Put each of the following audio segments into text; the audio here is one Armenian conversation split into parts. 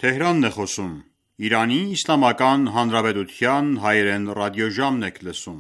Թեհրանն է խոսում։ Իրանի Իսլամական Հանրապետության հայերեն ռադիոժամն եք լսում։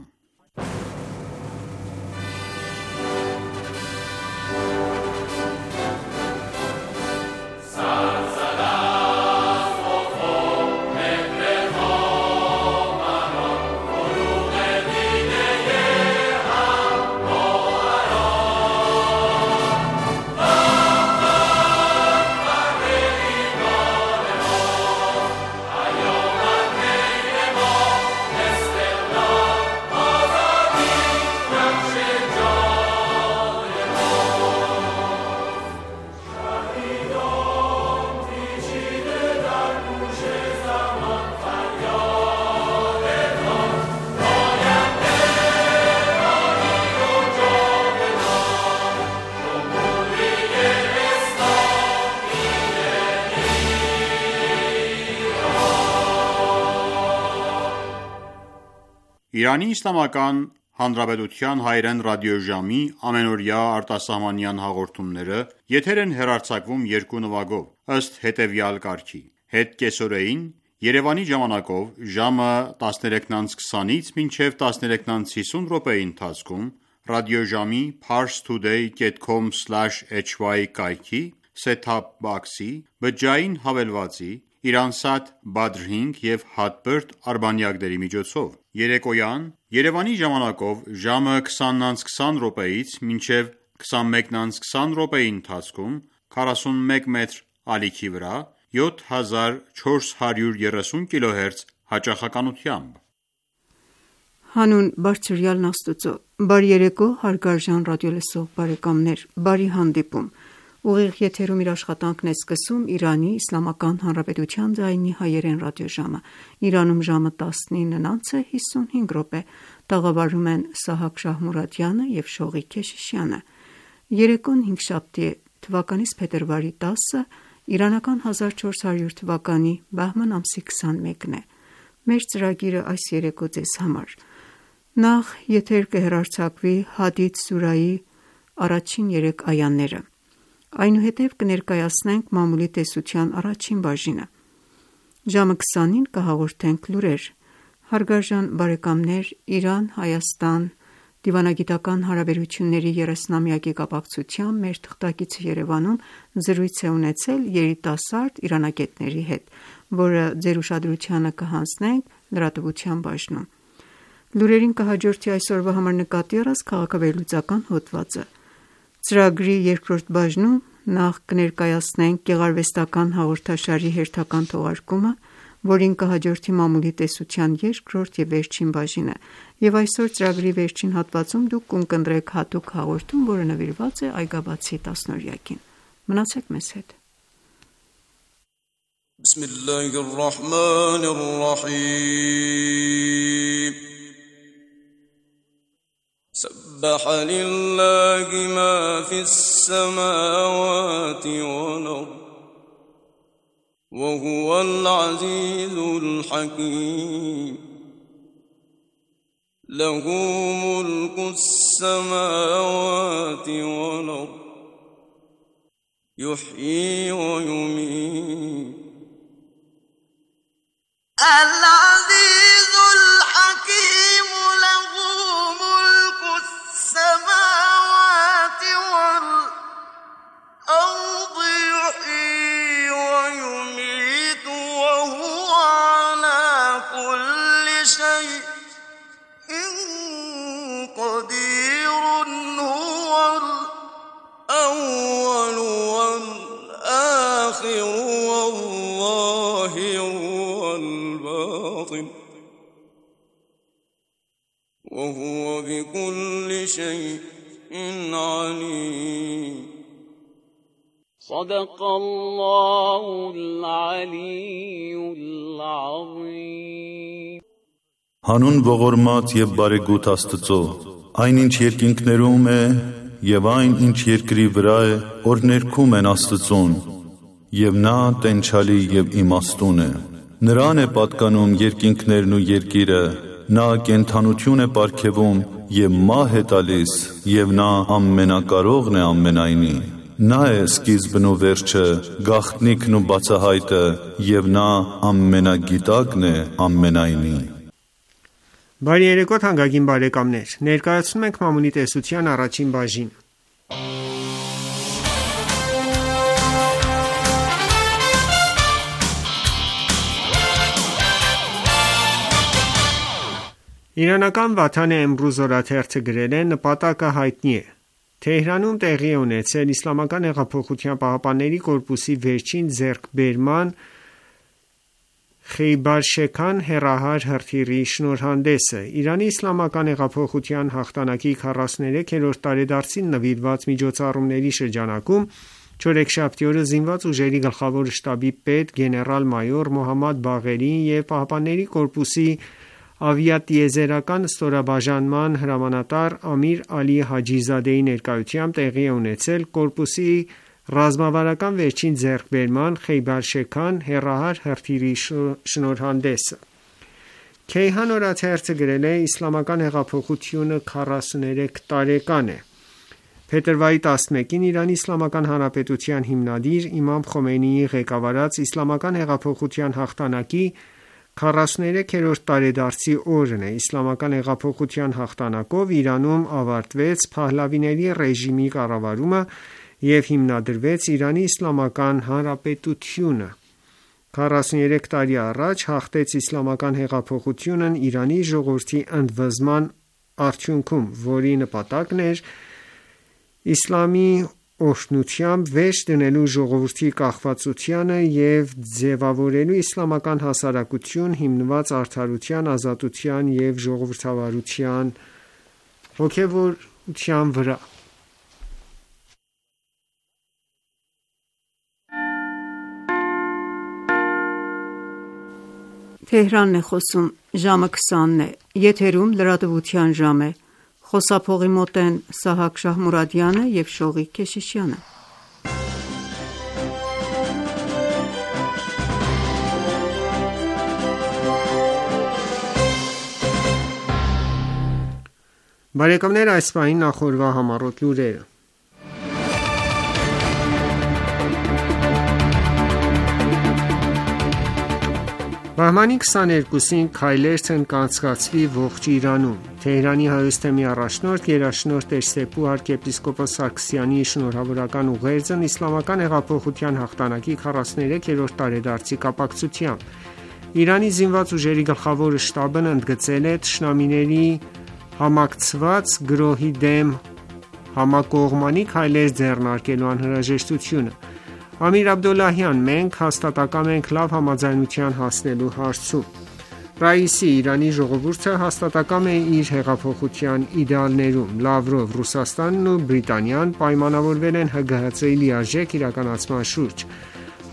Իրանի Իսլամական Հանրապետության հայերեն ռադիոժամի ամենօրյա արտասահմանյան հաղորդումները եթեր են հեռարձակվում երկու նվագով, ըստ հետևյալ կարգի. Հետկեսօրեին Երևանի ժամանակով ժամը 13:20-ից մինչև 13:50 րոպեի ընթացքում ռադիոժամի parstoday.com/hy կայքի set-top box-ի բջջային հավելվածի Իրանսատ Badr 5 և Hotbird արբանյակների միջոցով, երեկոյան Երևանի ժամանակով ժամը 20:20 րոպեից մինչև 21:20 րոպեի ընթացքում 41 մետր ալիքի վրա 7430 kHz հաճախականությամբ։ Հանուն Բարձրյալն Աստծո, բարի երեկո հարգարժան ռադիոլսող բարեկամներ, բարի հանդիպում։ Ուղիղ եթերում իր աշխատանքն է սկսում Իրանի Իսլամական Հանրապետության ձայնի հայերեն ռադիոժամը։ Իրանում ժամը 19:55 րոպե, տաղավարում են Սահակ Շահմուրադյանը և Շողիկ Քեշիշյանը։ Երեկոն հինգշաբթի է, թվականից փետրվարի 10-ը, իրանական 1400 թվականի բահման ամսի 21-ն է։ Մեր ծրագիրը այս երեկո ձեզ համար: Նախ եթեր կհեռարձակվի Հադիդ սուրայի առաջին 3 այաները, այնուհետև կներկայացնենք մամուլի տեսության առաջին բաժինը։ Ժամը 20-ին կհաղորդենք լուրեր։ Հարգարժան բարեկամներ, Իրան-Հայաստան դիվանագիտական հարաբերությունների 30-ամյակի կապակցությամբ մեր թղթակիցը Երևանում զրույց է ունեցել երիտասարդ իրանագետների հետ, որը ձեր ուշադրությանը կհանձնենք լրատվության բաժնում։ Լուրերին կհաջորդի այսօրվա համար նկատի առած քաղաքավերլուծական հոդվածը։ Ծրագրի երկրորդ բաժնում նախ կներկայացնենք գեղարվեստական հաղորդաշարի հերթական թողարկումը, որին կհաջորդի մամուլի տեսության երկրորդ և վերջին բաժինը, և այսօր ծրագրի վերջին հատվածում դուք կընտրեք հատուկ հաղորդում, որը նվիրված է Այգաբացի 10-օրյակին։ Մնացեք մեզ հետ։ سبح لله ما في السماوات والأرض وهو العزيز الحكيم له ملك السماوات والأرض يحيي ويميت العزيز الحكيم له ملك السماوات والأرض يحيي ويميت وهو على كل شيء قدير هو الأول والآخر والظاهر والباطن وهو بكل شيء عليم صدق الله العلي العظيم Հանուն ողորմած և բարեգութ Աստծո, այն ինչ երկինքներում է և այն ինչ երկրի վրա է, որ ներքում են Աստծուն, և նա տենչալի և իմաստուն է։ Նրան է պատկանում երկինքներն ու երկիրը, նա կենդանություն է պարգևում և մահ է տալիս, և նա ամենակարողն է ամենայնի։ Նա է սկիզբն ու վերջը, գաղտնիքն ու բացահայտը, և նա ամենագիտակն է ամենայնի։ Բարի երեկո թանկագին բարեկամներ, ներկայացնում ենք Մամունի տեսության առաջին բաժինը։ Իրանական Վաթան Էմրուզ օրաթերթը գրել է. նպատակը հայտնի է։ Թեհրանում տեղի է ունեցել Իսլամական հեղափոխության պահապանների կորպուսի վերջին ձեռքբերման Խեյբար-Շեքան հեռահար հրթիռի շնորհանդեսը։ Իրանի իսլամական հեղափոխության հաղթանակի 43-րդ տարեդարձին նվիրված միջոցառումների շրջանակում չորեքշաբթի օրը Զինված ուժերի գլխավոր շտաբի պետ գեներալ-մայոր Մոհամմադ Բաղերին և ԻՀՊԿ-ի ավիատիեզերական ստորաբաժանման հրամանատար Ամիր Ալի Հաջիզադեի ներկայությամբ տեղի է ունեցել կորպուսի ռազմավարական վերջին ձեռքբերման Խեյբար-Շեքան հեռահար հրթիռի շնորհանդեսը։ Քեյհան օրաթերթը գրել է. Իսլամական հեղափոխությունը 43 տարեկան է։ Փետրվարի 11-ին Իրանի Իսլամական Հանրապետության հիմնադիր Իմամ Խոմեյնիի ղեկավարած Իսլամական հեղափոխության հաղթանակի 43-րդ տարեդարձի օրն է։ Իսլամական հեղափոխության հաղթանակով Իրանում ավարտվեց Փահլավիների ռեժիմի կառավարումը և հիմնադրվեց Իրանի Իսլամական Հանրապետությունը։ 43 տարի առաջ հաղթեց իսլամական հեղափոխությունն Իրանի ժողովրդի ընդվզման արդյունքում, որի նպատակն էր իսլամի օրհնությամբ վերջ դնելու ժողովրդի կախվածությանը և ձևավորելու իսլամական հասարակություն հիմնված արդարության, ազատության և ժողովրդավարության հոգևորության վրա։ Թեհրանն է խոսում, ժամը 20-ն է, եթերում լրատվության ժամ է, խոսափողի մոտ են Սահակ Շահմուրադյանը և Շողիկ Քեշիշյանը։ Բարեկամներ, այս պահին նախորդ համառոտ լուրերը։ Բահմանի 22-ին քայլերթն կանցկացվի ողջ Իրանում։ Թեհրանի Հայոց թեմի առաջնորդ գերաշնորհ Տեր-Սեփու arczepiskopos Սարգսյանի շնորհավորական ուղերձն Իսլամական հեղափոխության հաղթանակի 43-րդ տարեդարձի կապակցությամբ Իրանի զինված ուժերի գլխավոր շտաբն ընդգծել է թշնամիների համակցված գրոհի դեմ համակողմանի քայլեր ձեռնարկելու անհրաժեշտությունը։ Ամիր Աբդոլլահյան, մենք հաստատակամ ենք լավ համաձայնության հասնելու հարցում։ Ռաիսի, Իրանի ժողովուրդը հաստատակամ է իր հեղափոխության իդեալներում։ Լավրով, Ռուսաստանն ու Բրիտանիան պայմանավորվել են ՀԳՀԾ-ի լիարժեք իրականացման շուրջ։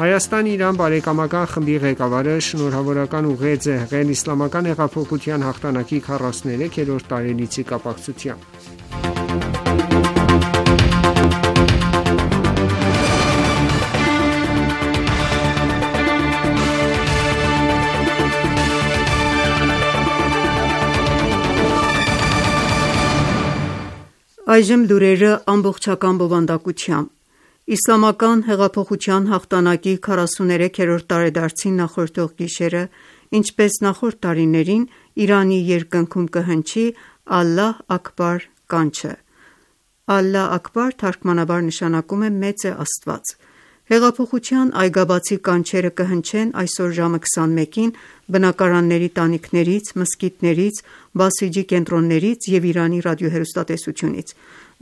Հայաստան-Իրան բարեկամական խմբի ղեկավարը շնորհավորական ուղերձ է հղել Իսլամական հեղափոխության հաղթանակի 43-րդ տարելիցի կապակցությամբ։ Այժմ լուրերը ամբողջական բովանդակությամբ։ Իսլամական հեղափոխության հաղթանակի 43-րդ տարեդարձին նախորդող գիշերը, ինչպես նախորդ տարիներին, Իրանի երկնքում կհնչի «Ալլահ Աքբար» կանչը։ «Ալլահ Աքբար» թարգմանաբար նշանակում է «Մեծ է Աստված»։ Հեղափոխության այգաբացի կանչերը կհնչեն այսօր ժամը 21-ին բնակարանների տանիքներից, մզկիթներից, բասիջի կենտրոններից և Իրանի ռադիոհեռուստատեսությունից։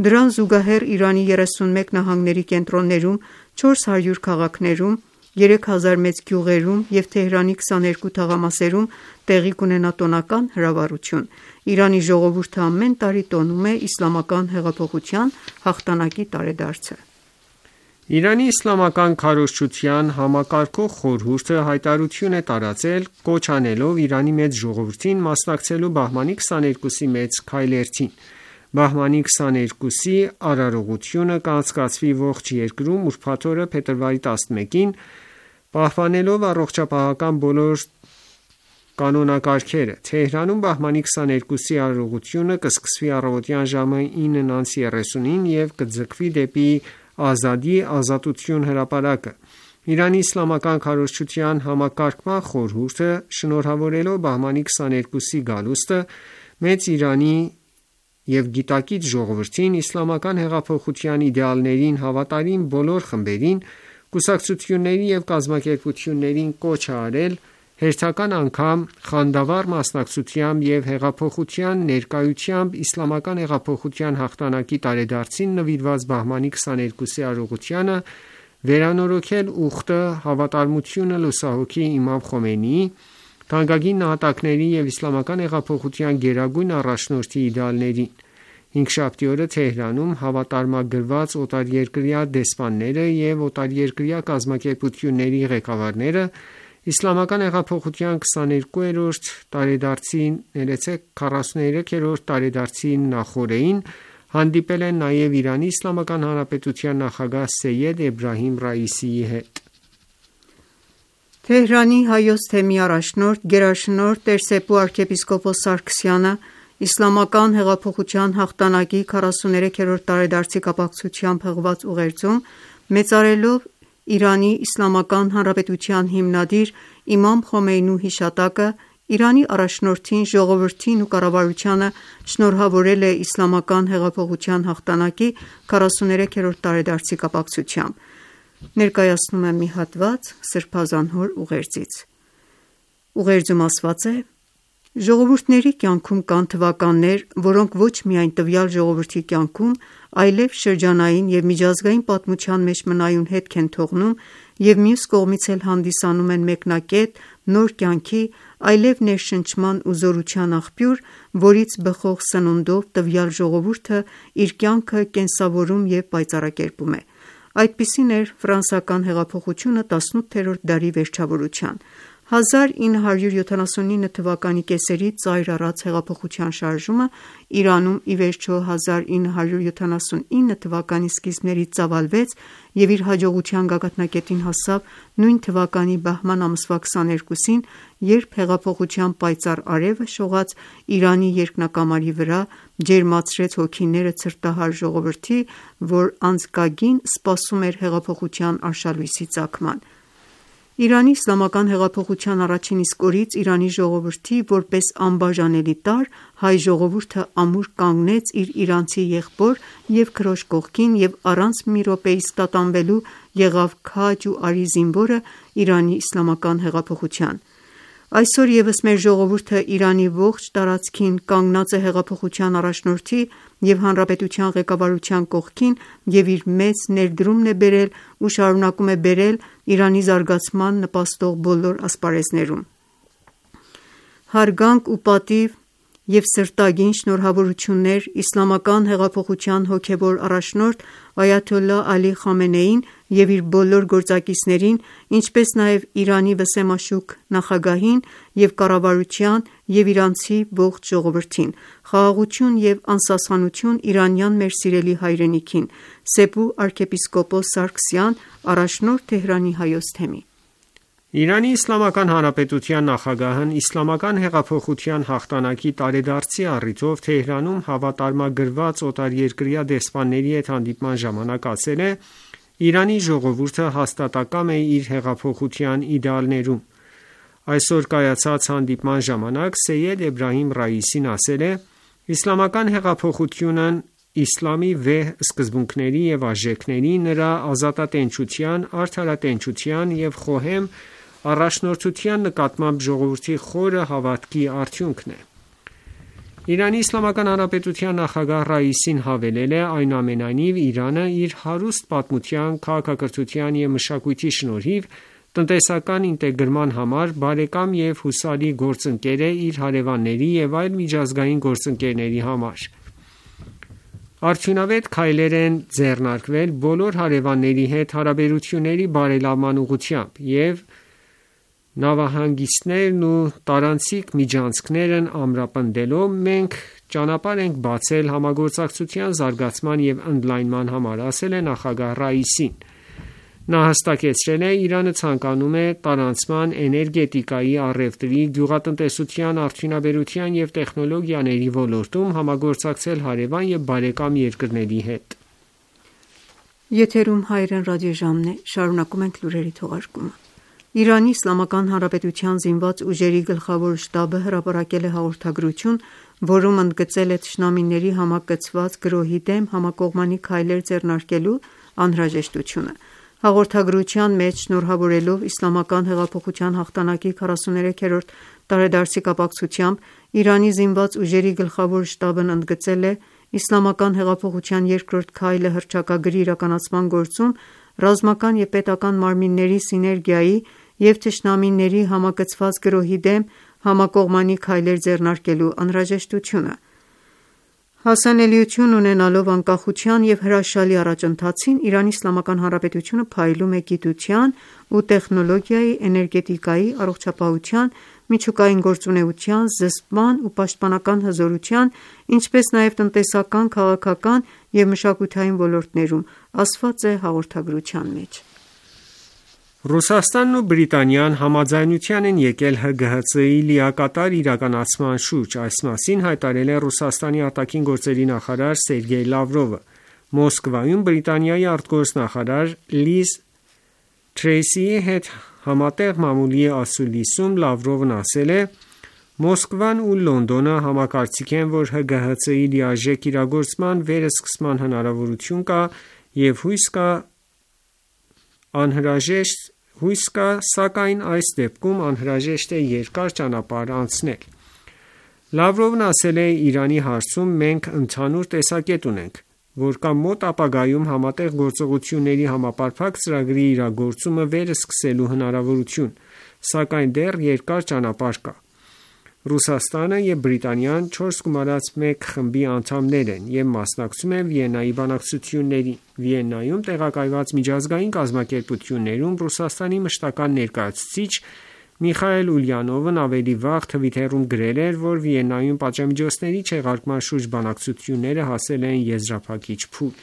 Դրան զուգահեռ Իրանի 31 նահանգների կենտրոններում, 400 քաղաքներում, 3000 մեծ գյուղերում և Թեհրանի 22 թաղամասերում տեղի կունենա տոնական հրավառություն։ Իրանի ժողովուրդը ամեն տարի տոնում է Իսլամական հեղափոխության հաղթանակի տարեդարձը։ Իրանի իսլամական քարոզչության համակարգող խորհուրդը հայտարարություն է տարածել, կոչ անելով Իրանի մեծ ժողովրդին մասնակցելու բահմանի 22-ի մեծ քայլերթին։ Բահմանի 22-ի արարողությունը կանցկացվի ողջ երկրում ուրբաթ օրը փետրվարի 11-ին, պահպանելով առողջապահական բոլոր կանոնակարգերը։ Թեհրանում բահմանի 22-ի արարողությունը կսկսվի առավոտյան ժամը 9:30-ին և կձգվի դեպի Ազադի ազատություն հրապարակը։ Իրանի իսլամական քարոզչության համակարգման խորհուրդը, շնորհավորելով բահմանի 22-ի գալուստը, Մեծ Իրանի և գիտակից ժողովրդին, իսլամական հեղափոխության իդեալներին հավատարիմ բոլոր խմբերին, կուսակցությունների և կազմակերպություններին կոչ է արել հերթական անգամ խանդավառ մասնակցությամբ և հեղափոխության ներկայությամբ իսլամական հեղափոխության հաղթանակի տարեդարձին նվիրված բահմանի 22-ի արարողությանը վերանորոգել ուխտը, հավատարմությունը լուսահոգի Իմամ Խոմեյնիի, թանկագին նահատակների և իսլամական հեղափոխության գերագույն առաջնորդի իդեալներին։ Հինգշաբթի օրը Թեհրանում հավատարմագրված օտարերկրյա դեսպանները և օտարերկրյա կազմակերպությունների ղեկավարները իսլամական հեղափոխության 42-րդ տարեդարձի նախօրեին հանդիպել են նաև Իրանի Իսլամական Հանրապետության նախագահ Սեյեդ Էբրահիմ Ռայիսիի հետ։ Թեհրանի Հայոց թեմի առաջնորդ գերաշնորհ Տեր-Սեփու arczepiskopos Սարգսյանը Իսլամական հեղափոխության հաղթանակի 43-րդ տարեդարձի կապակցությամբ հղված ուղերձում, մեծարելով Իրանի Իսլամական Հանրապետության հիմնադիր Իմամ Խոմեյնու հիշատակը, Իրանի առաջնորդին, ժողովրդին ու կառավարությանը շնորհավորել է Իսլամական հեղափոխության հաղթանակի 43-րդ տարեդարձի կապակցությամբ։ Ներկայացնում եմ մի հատված Սրբազան հոր ուղերձից։ Ուղերձում ասված է. «Ժողովուրդների կյանքում կան թվականներ, որոնք ոչ միայն տվյալ ժողովրդի կյանքում, այլև շրջանային և միջազգային պատմության մեջ մնայուն հետք են թողնում և մյուս կողմից էլ հանդիսանում են մեկնակետ նոր կյանքի, այլև ներշնչման ու զորության աղբյուր, որից բխող սնունդով տվյալ ժողովուրդը իր կյանքը կենսավորում և պայծառակերպում է։ Այդպիսին էր ֆրանսիական հեղափոխությունը 18-րդ դարի վերջավորության։ 1979 թվականի կեսերից ծայր առած հեղափոխության շարժումը Իրանում ի վերջո 1979 թվականի սկիզբներից ծավալվեց և իր հաջողության գագաթնակետին հասավ նույն թվականի բահման ամսվա 22-ին, երբ հեղափոխության պայծառ արևը շողաց Իրանի երկնակամարի վրա, ջերմացրեց հոգիները ցրտահար ժողովրդի, որ անձկագին սպասում էր հեղափոխության արշալույսի ծագման։ Իրանի իսլամական հեղափոխության առաջին իսկ օրից Իրանի ժողովրդի որպես անբաժանելի տարր հայ ժողովուրդը ամուր կանգնեց իր իրանցի եղբոր և քրոջ կողքին և առանց մի րոպեիս տատանվելու եղավ քաջ ու արի զինվորը Իրանի իսլամական հեղափոխության։ Այսօր ևս մեր ժողովուրդը Իրանի ողջ տարածքին կանգնած է հեղափոխության առաջնորդի և հանրապետության ղեկավարության կողքին և իր մեծ ներդրումն է բերել ու շարունակում է բերել Իրանի զարգացման նպաստող բոլոր ասպարեզներում։ Հարգանք ու պատիվ և սրտագին շնորհավորություններ Իսլամական հեղափոխության հոգևոր առաջնորդ Այաթոլլահ Ալի Խամենեիին և իր բոլոր գործակիցներին, ինչպես նաև Իրանի վսեմաշուք նախագահին և կառավարության և իրանցի ողջ ժողովրդին։ Խաղաղություն և անսասխանություն իրանյան մեր սիրելի հայրենիքին։ Սեփու arczepiskopos Սարգսյան, առաջնորդ Թեհրանի Հայոց թեմի։ Իրանի Իսլամական Հանրապետության նախագահն Իսլամական հեղափոխության հաղթանակի տարեդարձի առիթով Թեհրանում հավատարմագրված օտարերկրյա դեսպանների հետ հանդիպման ժամանակ ասել է. «Իրանի ժողովուրդը հաստատակամ է իր հեղափոխության իդեալներում»։ Այսօր կայացած հանդիպման ժամանակ Սեյեդ Էբրահիմ Ռայիսին ասել է. «Իսլամական հեղափոխությունն իսլամի վեհ սկզբունքների և արժեքների, նրա ազատատենչության, արդարատենչության և խոհեմ առաջնորդության նկատմամբ ժողովրդի խորը հավատքի արդյունքն է»։ Իրանի Իսլամական Հանրապետության նախագահ Ռայիսին հավելել է. «Այնուամենայնիվ, Իրանը իր հարուստ պատմության, քաղաքակրթության և մշակույթի շնորհիվ տնտեսական ինտեգրման համար բարեկամ և հուսալի գործընկեր է իր հարևանների և այլ միջազգային գործընկերների համար։ Արդյունավետ քայլեր են ձեռնարկվել բոլոր հարևանների հետ հարաբերությունների բարելավման ուղղությամբ, և նավահանգիստներն ու տարանցիկ միջանցքներն ամրապնդելով մենք ճանապարհ ենք բացել համագործակցության զարգացման և ընդլայնման համար», ասել է նախագահ Ռայիսին։ Նա հստակեցրել է. «Իրանը ցանկանում է տարանցման, էներգետիկայի, առևտրի, գյուղատնտեսության, արդյունաբերության և տեխնոլոգիաների ոլորտում համագործակցել հարևան և բարեկամ երկրների հետ»։ Եթերում հայրեն ռադիոժամն է, շարունակում ենք լուրերի թողարկումը։ Իրանի Իսլամական Հանրապետության զինված ուժերի գլխավոր շտաբը հրապարակել է հաղորդագրություն, որում ընդգծել է թշնամիների համակցված գրոհի դեմ համակողմանի քայլեր ձեռնարկելու անհրաժեշտությունը։ Հաղորդագրության մեջ շնորհավորելով Իսլամական հեղափոխության հաղթանակի 43-րդ տարեդարձի կապակցությամբ Իրանի զինված ուժերի գլխավոր շտաբն ընդգծել է Իսլամական հեղափոխության երկրորդ քայլը հռչակագրի իրականացման գործում ռազմական և պետական մարմինների սիներգիայի և թշնամիների համակցված գրոհի դեմ համակողմանի քայլեր ձեռնարկելու անհրաժեշտությունը։ Հասանելիություն ունենալով անկախության և հրաշալի առաջընթացին, Իրանի Իսլամական Հանրապետությունը փայլում է գիտության ու տեխնոլոգիայի, էներգետիկայի, առողջապահության, միջուկային գործունեության, զսպման ու պաշտպանական հզորության, ինչպես նաև տնտեսական, քաղաքական և մշակութային ոլորտներում, ասված է հաղորդագրության մեջ։ Ռուսաստանն ու Բրիտանիան համաձայնության են եկել ՀԳՀԾ-ի լիակատար իրականացման շուրջ, այս մասին հայտարարել է Ռուսաստանի արտաքին գործերի նախարար Սերգեյ Լավրովը։ Մոսկվայում Բրիտանիայի արտգործնախարար Լիզ Թրեյսիի հետ համատեղ մամուլի ասուլիսում Լավրովն ասել է. «Մոսկվան ու Լոնդոնը համակարծիք են, որ ՀԳՀԾ-ի լիարժեք իրագործման վերսկսման հնարավորություն կա և հույս կա, սակայն այս դեպքում անհրաժեշտ է երկար ճանապարհ անցնել»։ Լավրովն ասել է. «Իրանի հարցում մենք ընդհանուր տեսակետ ունենք, որ կա մոտ ապագայում համատեղ գործողությունների համապարփակ ծրագրի իրագործումը վերսկսելու հնարավորություն, սակայն դեռ երկար ճանապարհ կա»։ Ռուսաստանը և Բրիտանիան 4+1 խմբի անդամներ են և մասնակցում են Վիեննայի բանակցություններին։ Վիեննայում տեղակայված միջազգային կազմակերպություններում Ռուսաստանի մշտական ներկայացուցիչ Միխայել Ուլյանովն ավելի վաղ Թվիթերում գրել էր, որ Վիեննայում պատժամիջոցների չեղարկման շուրջ բանակցությունները հասել են եզրափակիչ փուլ։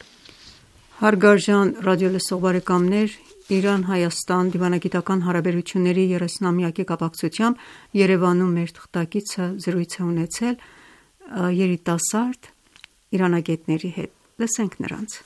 Հարգարժան ռադիոլսող բարեկամներ, Իրան-Հայաստան դիվանագիտական հարաբերությունների 30-ամյակի կապակցությամբ Երևանում մեր թղթակիցը զրույց է ունեցել երիտասարդ իրանագետների հետ։ Լսենք նրանց։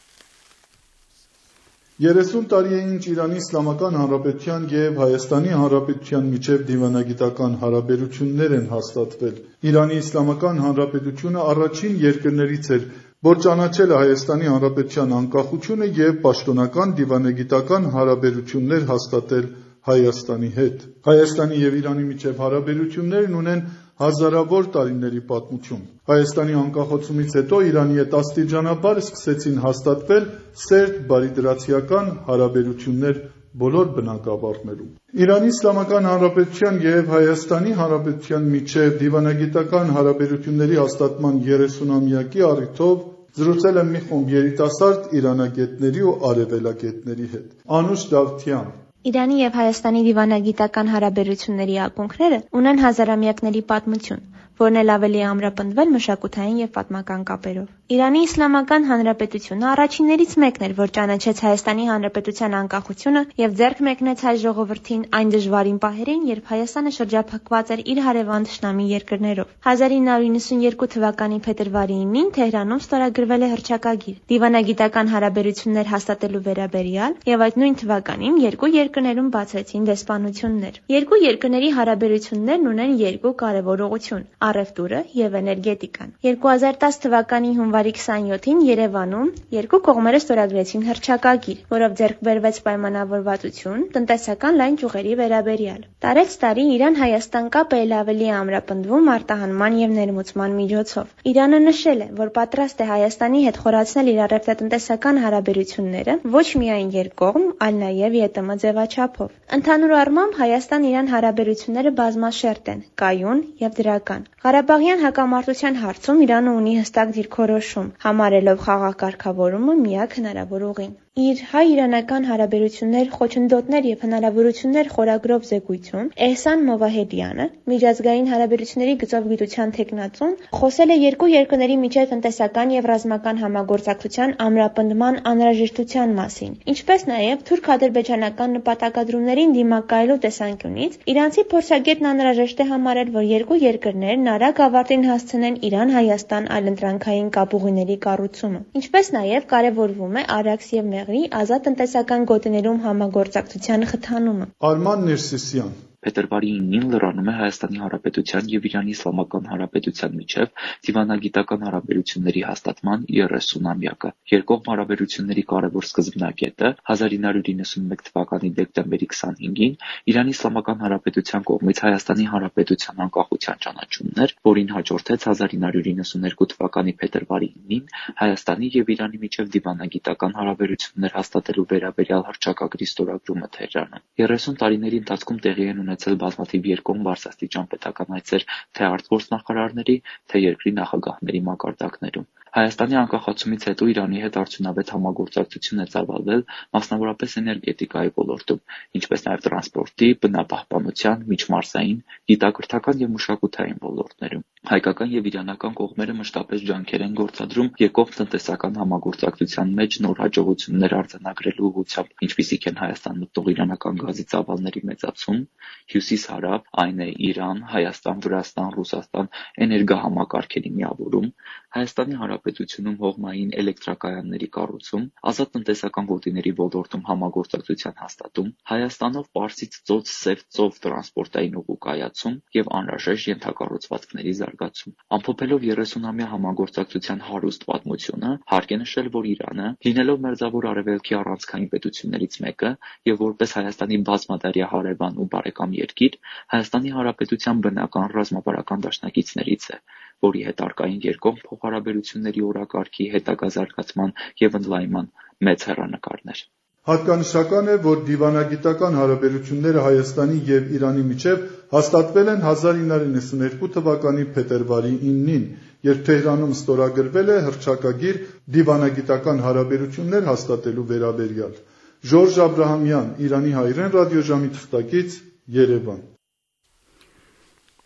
30 տարի է ինչ Իրանի Իսլամական Հանրապետության և Հայաստանի Հանրապետության միջև դիվանագիտական հարաբերություններ են հաստատվել։ Իրանի Իսլամական Հանրապետությունը առաջին երկրներից էր, որ ճանաչել է Հայաստանի Հանրապետության անկախությունը և պաշտոնական դիվանագիտական հարաբերություններ հաստատել Հայաստանի հետ։ Հայաստանի և Իրանի միջև հարաբերություններն ունեն հազարավոր տարիների պատմություն։ Հայաստանի անկախացումից հետո Իրանի հետ աստիճանաբար սկսեցին հաստատվել սերտ բարիդրացիական հարաբերություններ բոլոր բնակավարներում։ Իրանի Իսլամական Հանրապետության և Հայաստանի Հանրապետության միջև դիվանագիտական հարաբերությունների հաստատման 30-ամյակի առիթով զրուցել եմ մի խումբ երիտասարդ իրանագետների ու արևելագետների հետ։ Անուշ Դավթյան: Իրանի և Հայաստանի դիվանագիտական հարաբերությունների ակունքները ունեն հազարամյակների պատմություն, որն էլ ավելի է ամրապնդվել մշակութային և պատմական կապերով։ Իրանի Իսլամական Հանրապետությունը առաջիններից մեկն էր, որ ճանաչեց Հայաստանի Հանրապետության անկախությունը և ձեռք մեկնեց հայ ժողովրդին այն դժվարին պահերին, երբ Հայաստանը շրջափակված էր իր հարևան թշնամի երկրներով։ 1992 թվականի փետրվարի 9-ին Թեհրանում ստորագրվել է հռչակագիր դիվանագիտական հարաբերություններ հաստատելու վերաբերյալ, և այդ նույն թվականին երկու երկրներում բացվեցին դեսպանություններ։ Երկու երկրների հարաբերություններն ունեն երկու կարևոր ուղղություն՝ առևտուրը և էներգետիկան։ 2010 թվականի հունվարի 27-ին Երևանում երկու կողմերը ստորագրեցին հռչակագիր, որով ձեռք բերվեց պայմանավորվածություն տնտեսական լայն ճյուղերի վերաբերյալ։ Տարեց տարի Իրան-Հայաստան կապը ել ավելի է ամրապնդվում արտահանման և ներմուծման միջոցով։ Իրանը նշել է, որ պատրաստ է Հայաստանի հետ խորացնել իր առևտրատնտեսական հարաբերությունները ոչ միայն երկկողմ, այլ նաև ԵՏՄ ձևաչափով։ Ընդհանուր առմամբ Հայաստան-Իրան հարաբերությունները բազմաշերտ են, կայուն և դրական։ Ղարաբաղյան հակամարտության հարցում Իրանը ունի հստակ դիրքորոշում, համարելով խաղաղ կարգավորումը միակ հնարավոր ուղին։ Իր հայ-իրանական հարաբերություններ, խոչընդոտներ և հնարավորություններ խորագրով զեկույցում Էհսան Մովահեդյանը, միջազգային հարաբերությունների գծով գիտության թեկնածուն, խոսել է երկու երկրների միջև տնտեսական և ռազմական համագործակցության ամրապնդման անհրաժեշտության մասին, ինչպես նաև թուրք-ադրբեջանական նպատակադրումներին դիմակայելու տեսանկյունից իրանցի փորձագետն անհրաժեշտ է համարել, որ երկու երկրներն արագ ավարտին հասցնեն Իրան-Հայաստան այլընտրանքային կապուղիների կառուցումը, ինչպես նաև կարևորվում է Արաքս և մեղրի ազատ տնտեսական գոտիներում համագործակցության խթանումը։ Արման Ներսիսյան Փետրվարի 9-ին Լրանում է Հայաստանի Հանրապետության և Իրանի Իսլամական Հանրապետության միջև դիվանագիտական հարաբերությունների հաստատման 30-ամյակը։ Երկկողմ հարաբերությունների կարևոր սկզբնակետը 1991 թվականի դեկտեմբերի 25-ին Իրանի Իսլամական Հանրապետության կողմից Հայաստանի Հանրապետության անկախության ճանաչումն էր, որին հաջորդեց 1992 թվականի փետրվարի 9-ին Հայաստանի և Իրանի միջև դիվանագիտական հարաբերություններ հաստատելու վերաբերյալ հռչակագրի ստորագրումը Թեհրանում։ 30 տարիների ընթացքում տեղի են ունեցել բազմաթիվ երկկողմ բարձրաստիճան պետական այցեր թե արտգործնախարարների, թե երկրի նախագահների մակարդակներում։ Հայաստանի անկախացումից հետո Իրանի հետ արդյունավետ համագործակցություն է ծավալվել մասնավորապես էներգետիկայի ոլորտում, ինչպես նաև տրանսպորտի, բնապահպանության, միջմարզային, գիտակրթական և մշակութային ոլորտներում։ Հայկական և իրանական կողմերը մշտապես ջանքեր են գործադրում երկկողմ տնտեսական համագործակցության մեջ նոր հաջողություններ արձանագրելու ուղղությամբ, ինչպիսիք են Հայաստան մտնող իրանական գազի ծավալների մեծացում, Հյուսիս-Հարավ, այն է Իրան, Հայաստան, Վրաստան, Ռուսաստան էներգահամակարգերի միավորում, Հայաստանի Հանրապետությունում հողմային էլեկտրակայանների կառուցում, ազատ տնտեսական գոտիների ոլորտում համագործակցության հաստատում, Հայաստանով Պարսից ծոց Սև ծով տրանսպորտային ուղու կայացում և անհրաժեշտ ենթակառուցվածքների զարգացում։ Ամփոփելով 30-ամյա համագործակցության հարուստ պատմությունը, հարկ է նշել, որ Իրանը, լինելով Մերձավոր Արևելքի առանցքային պետություններից մեկը և որպես Հայաստանի բազմադարյա հարևան ու բարեկամ երկիր, Հայաստանի Հանրապետության բնական ռազմավարական դաշնակիցներից է, որի հետ առկային երկկողմ փոխհարաբերությունների օրակարգի հետագա զարգացման և ընդլայնման մեծ հեռանկարներ։ Հատկանշական է, որ դիվանագիտական հարաբերությունները Հայաստանի և Իրանի միջև հաստատվել են 1992 թվականի փետրվարի 9-ին, երբ Թեհրանում ստորագրվել է հռչակագիր դիվանագիտական հարաբերություններ հաստատելու վերաբերյալ։ Ժորժ Աբրահամյան, Իրանի հայրեն ռադիոժամի թղթակից, Երևան։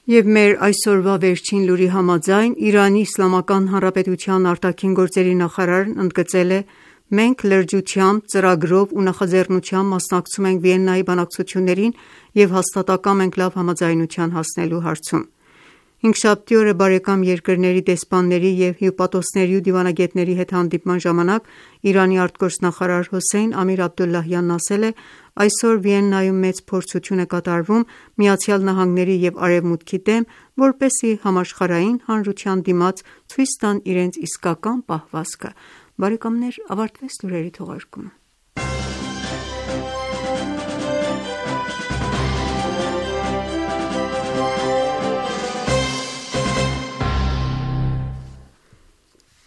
Եվ մեր այսօրվա վերջին լուրի համաձայն Իրանի Իսլամական Հանրապետության արտաքին գործերի նախարարն ընդգծել է. «Մենք լրջությամբ, ծրագրով ու նախաձեռնությամբ մասնակցում ենք Վիեննայի բանակցություններին և հաստատակամ ենք լավ համաձայնության հասնելու հարցում»։ Հինգշաբթի օրը բարեկամ երկրների դեսպանների և հյուպատոսների ու դիվանագետների հետ հանդիպման ժամանակ Իրանի արտգործնախարար Հոսեյն Ամիր Աբդոլլահյանն ասել է. «Այսօր Վիեննայում մեծ փորձություն է կատարվում ԱՄՆ-ի և Արևմուտքի դեմ, որպեսզի համաշխարհային հանրության դիմաց ցույց տան իրենց իսկական պահվածքը»։ Բարեկամներ, ավարտվեց լուրերի թողարկումը։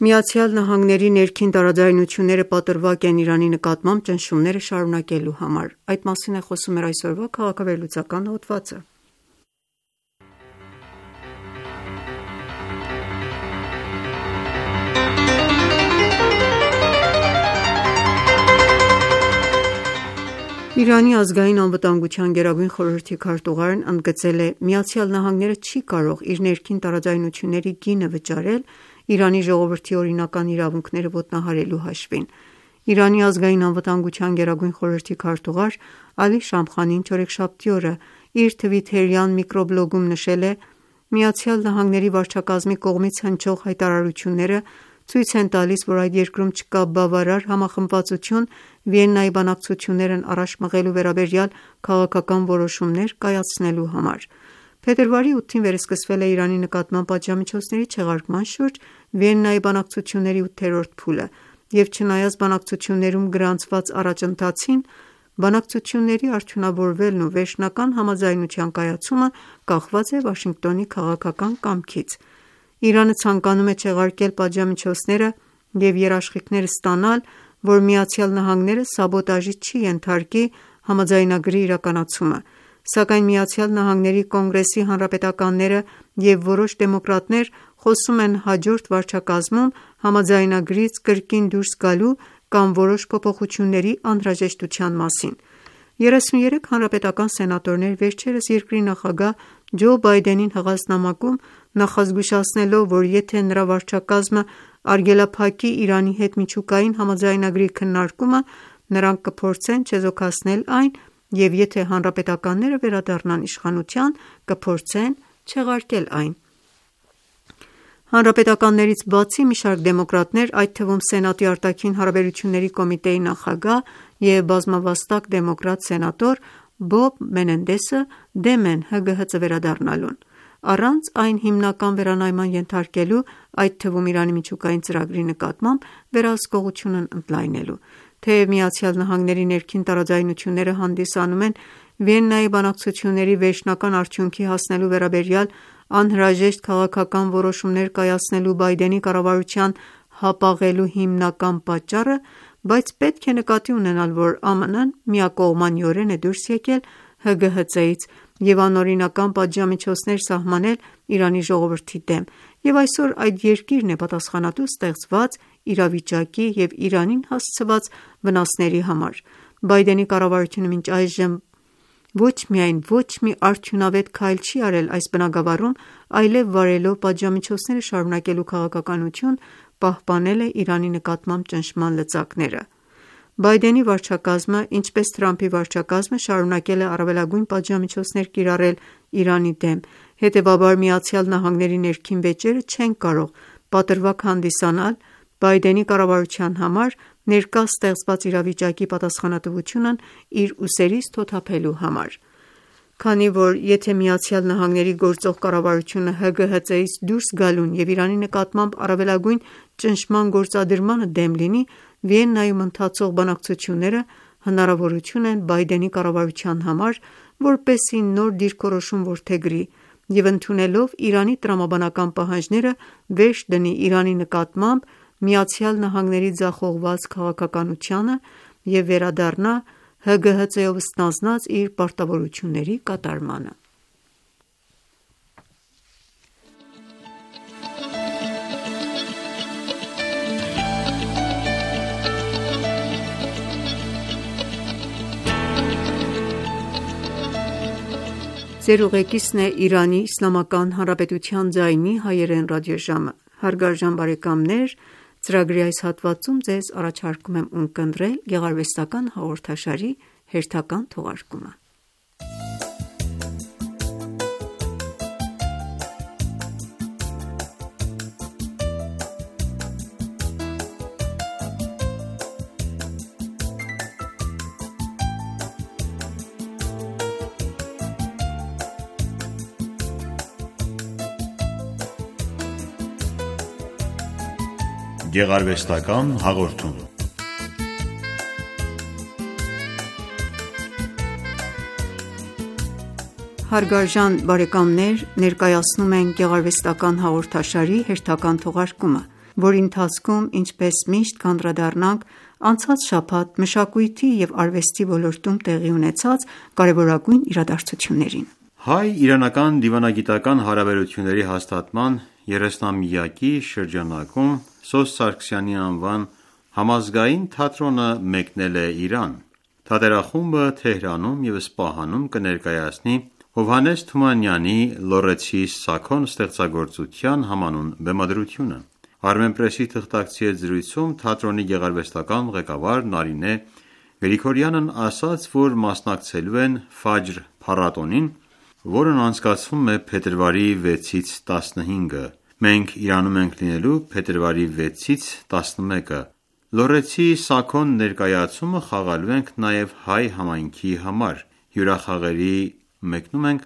ԱՄՆ-ի ներքին տարաձայնությունները պատրվակ են Իրանի նկատմամբ ճնշումները շարունակելու համար։ Այդ մասին է խոսում մեր այսօրվա քաղաքավերլուծական հոդվածը։ Իրանի ազգային անվտանգության գերագույն խորհրդի քարտուղարն ընդգծել է. «ԱՄՆ-ն չի կարող իր ներքին տարաձայնությունների գինը վճարել Իրանի ժողովրդի օրինական իրավունքները ոտնահարելու հաշվին»։ Իրանի ազգային անվտանգության գերագույն խորհրդի քարտուղար Ալի Շամխանին չորեքշաբթի օրը իր թվիթերյան միկրոբլոգում նշել է. «ԱՄՆ վարչակազմի կողմից հնչող հայտարարությունները ցույց են տալիս, որ այդ երկրում չկա բավարար համախմբվածություն Վիեննայի բանակցություններն առաջ մղելու վերաբերյալ քաղաքական որոշումներ կայացնելու համար»։ Փետրվարի 8-ին վերսկսվել է Իրանի նկատմամբ պատժամիջոցների չեղարկման շուրջ Վիեննայի բանակցությունների 8-րդ փուլը, և չնայած բանակցություններում գրանցված առաջընթացին, բանակցությունների արդյունավորվելն ու վերջնական համաձայնության կայացումը կախված է Վաշինգտոնի քաղաքական կամքից։ Իրանը ցանկանում է չեղարկել պատժամիջոցները և երաշխիքներ ստանալ, որ ԱՄՆ-ն սաբոտաժի չի ենթարկի համաձայնագրի իրականացումը, սակայն ԱՄՆ Կոնգրեսի հանրապետականները և որոշ դեմոկրատներ խոսում են հաջորդ վարչակազմում համաձայնագրից կրկին դուրս գալու կամ որոշ փոփոխությունների անհրաժեշտության մասին։ 33 հանրապետական սենատորներ վերջերս երկրի նախագահ Ջո Բայդենին հղած նամակում նախազգուշացնելով, որ եթե նրա վարչակազմը արգելափակի Իրանի հետ միջուկային համաձայնագրի քննարկումը, նրանք կփորձեն չեզոքացնել այն և եթե հանրապետականները վերադառնան իշխանության, կփորձեն չեղարկել այն։ Հանրապետականներից բացի մի շարք դեմոկրատներ, այդ թվում Սենատի արտաքին հարաբերությունների կոմիտեի նախագահ և բազմավաստակ դեմոկրատ սենատոր Բոբ Մենենդեսը դեմ են ՀԳՀԾ վերադառնալուն, առանց այն հիմնական վերանայման ենթարկելու, այդ թվում Իրանի միջուկային ծրագրի նկատմամբ վերահսկողությունն ընդլայնելու։ Թեև ԱՄՆ-ի ներքին տարաձայնությունները հանդիսանում են Վիեննայի բանակցությունների վերջնական արդյունքի հասնելու վերաբերյալ անհրաժեշտ քաղաքական որոշումներ կայացնելու Բայդենի կառավարության հապաղելու հիմնական պատճառը, բայց պետք է նկատի ունենալ, որ ԱՄՆ-ն միակողմանիորեն է դուրս եկել ՀԳՀԾ-ից և անօրինական պատժամիջոցներ սահմանել Իրանի ժողովրդի դեմ, և այսօր այդ երկիրն է պատասխանատու ստեղծված իրավիճակի և Իրանին հասցված վնասների համար։ Բայդենի կառավարությունը մինչ այժմ ոչ միայն ոչ մի արդյունավետ քայլ չի արել այս բնագավառում, այլև վարելով պատժամիջոցները շարունակելու քաղաքականություն, պահպանել է Իրանի նկատմամբ ճնշման լծակները։ Բայդենի վարչակազմը, ինչպես Թրամփի վարչակազմը, շարունակել է առավելագույն պատժամիջոցներ կիրառել Իրանի դեմ, հետևաբար ԱՄՆ-ի ներքին վեճերը չեն կարող պատրվակ հանդիսանալ Բայդենի կառավարության համար ներկա ստեղծված իրավիճակի պատասխանատվությունն իր ուսերից թոթափելու համար։ Քանի որ եթե ԱՄՆ-ի գործող կառավարությունը ՀԳՀԾ-ից դուրս գալուն և Իրանի նկատմամբ առավելագույն ճնշման գործադրմանը դեմ լինի, Վիեննայում ընթացող բանակցությունները հնարավորություն են Բայդենի կառավարության համար, որպեսզի նոր դիրքորոշում որդեգրի և ընդունելով Իրանի տրամաբանական պահանջները վերջ դնի Իրանի նկատմամբ ԱՄՆ-ի ձախողված քաղաքականությանը և վերադառնա ՀԳՀԾ-ով ստանձնած իր պարտավորությունների կատարմանը։ Ծրագրի այս հատվածում ձեզ առաջարկում եմ ունկնդրել գեղարվեստական հաղորդաշարի հերթական թողարկումը։ Գեղարվեստական հաղորդում։ Հարգարժան բարեկամներ, ներկայացնում ենք գեղարվեստական հաղորդաշարի հերթական թողարկումը, որի ընթացքում, ինչպես միշտ, կանդրադառնանք անցած շաբաթ մշակույթի և արվեստի ոլորտում տեղի ունեցած կարևորագույն իրադարձություններին։ Հայ-իրանական դիվանագիտական հարաբերությունների հաստատման 30-ամյակի շրջանակում Սոս Սարգսյանի անվան համազգային թատրոնը մեկնել է Իրան։ Թատերախումբը Թեհրանում և Սպահանում կներկայացնի Հովհաննես Թումանյանի «Լոռեցի Սաքոն» ստեղծագործության համանուն բեմադրությունը։ Armenpress-ի թղթակցի հետ զրույցում թատրոնի գեղարվեստական ղեկավար Նարինե Գրիգորյանն ասաց, որ մասնակցելու են Ֆաջր փառատոնին, որն անցկացվում է փետրվարի 6-ից 15-ը։ Մենք Իրանում ենք լինելու փետրվարի 6-ից 11-ը։ Լոռեցի Սաքոն ներկայացումը խաղալու ենք նաև հայ համայնքի համար։ Հյուրախաղերի մեկնում ենք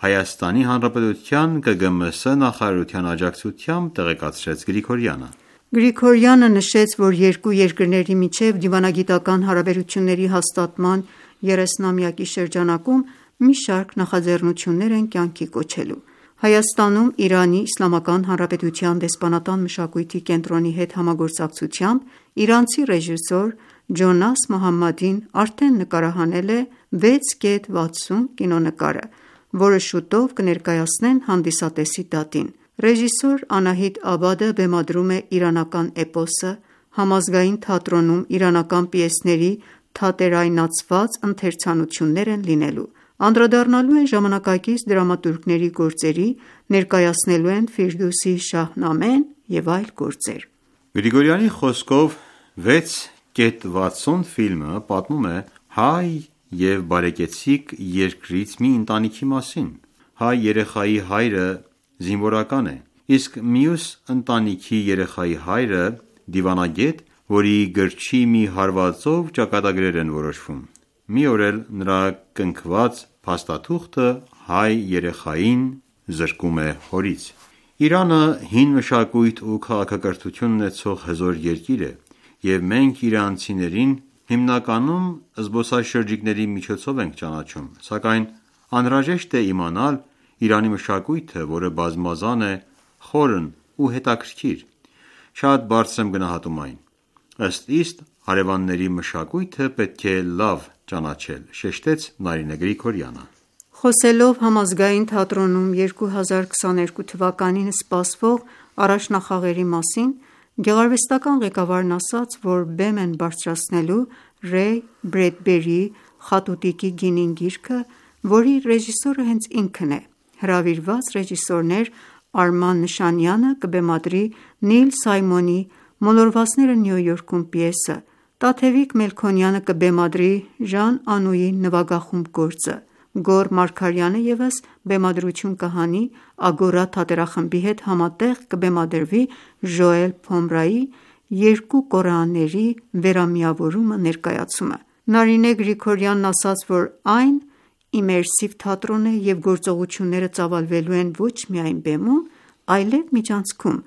Հայաստանի Հանրապետության ԿԳՄՍ նախարարության աջակցությամբ, տեղեկացրեց Գրիգորյանը։ Գրիգորյանը նշեց, որ երկու երկրների միջև դիվանագիտական հարաբերությունների հաստատման 30-ամյակի շրջանակում մի շարք նախաձեռնություններ են կյանքի կոչելու։ Հայաստանում Իրանի Իսլամական Հանրապետության դեսպանատան մշակույթի կենտրոնի հետ համագործակցությամբ իրանցի ռեժիսոր Ջոնաս Մոհամմադին արդեն նկարահանել է 6.60 կինոնկարը, որը շուտով կներկայացնեն հանդիսատեսի դատին։ Ռեժիսոր Անահիտ Աբադը բեմադրում է իրանական էպոսը, համազգային թատրոնում իրանական պիեսների թատերայնացված ընթերցանություններ են լինելու։ Անդրադառնալու են ժամանակակից դրամատուրգների գործերի, ներկայացնելու են Ֆիրդուսի Շահնամեն և այլ գործեր։ Գրիգորյանի խոսքով 6.60 ֆիլմը պատմում է հայ և բարեկեցիկ երկրից մի ընտանիքի մասին։ Հայ երեխայի հայրը զինվորական է, իսկ մյուս ընտանիքի երեխայի հայրը դիվանագետ, որի գրչի մի հարվածով ճակատագրեր են որոշվում։ Մի օր էլ նրա կնքված փաստաթուղթը հայ երեխային զրկում է հորից։ Իրանը հին մշակույթ ու քաղաքակրթություն ունեցող հզոր երկիր է, և մենք իրանցիներին հիմնականում զբոսաշրջիկների միջոցով ենք ճանաչում, սակայն անհրաժեշտ է իմանալ Իրանի մշակույթը, որը բազմազան է, խորն ու հետաքրքիր։ Շատ բարձր եմ գնահատում այն։ Ըստ իստ, հարևանների մշակույթը պետք է լավ ճանաչել, շեշտեց Նարինե Գրիգորյանը։ Խոսելով համազգային թատրոնում 2022 թվականին սպասվող առաջնախաղերի մասին, գեղարվեստական ղեկավարն ասաց, որ բեմ են բարձրացնելու Ռեյ Բրեդբերիի «Խատուտիկի գինին» գիրքը, որի ռեժիսորը հենց ինքն է։ Հրավիրված ռեժիսորներ Արման Նշանյանը կբեմադրի Նիլ Սայմոնի «Մոլորվածները Նյու Յորքում» պիեսը, Տաթևիկ Մելքոնյանը կբեմադրի Ժան Անուի նվագախումբ գործը, Գոռ Մարգարյանը ևս բեմադրություն կհանի Ագորա թատերախմբի հետ համատեղ կբեմադրվի Ժոել Փոմրայի «Երկու Կորեաների վերամիավորումը» ներկայացումը։ Նարինե Գրիգորյանն ասաց, որ այն իմերսիվ թատրոն է և գործողությունները ծավալվելու են ոչ միայն բեմում, այլև միջանցքում։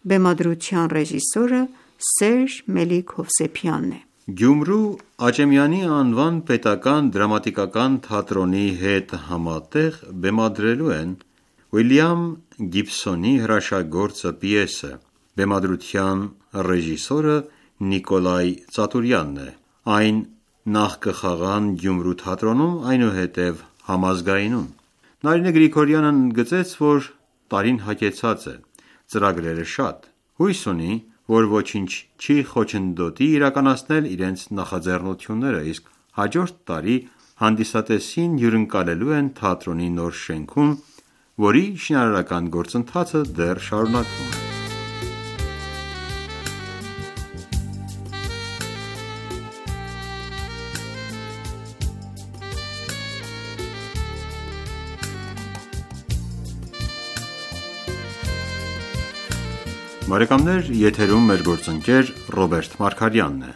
Բեմադրության ռեժիսորը Սերժ Մելիք Հովսեփյանն է։ Գյումրու Աճեմյանի անվան պետական դրամատիկական թատրոնի հետ համատեղ բեմադրելու են Ուիլյամ Գիբսոնի հրաշագործը պիեսը։ Բեմադրության ռեժիսորը Նիկոլայ Ծատուրյանն է։ Այն նախ կխաղան Գյումրու թատրոնում, այնուհետև համազգայինում։ Նարինե Գրիգորյանը ընդգծեց, որ տարին հագեցած է, ծրագրերը շատ։ Հույս ունի, որ ոչինչ չի խոչընդոտի իրականացնել իրենց նախաձեռնությունները, իսկ հաջորդ տարի հանդիսատեսին հյուրընկալելու են թատրոնի նոր շենքում, որի շինարարական գործընթացը դեռ շարունակվում է։ Բարեկամներ, եթերում մեր գործընկեր Ռոբերտ Մարգարյանն է։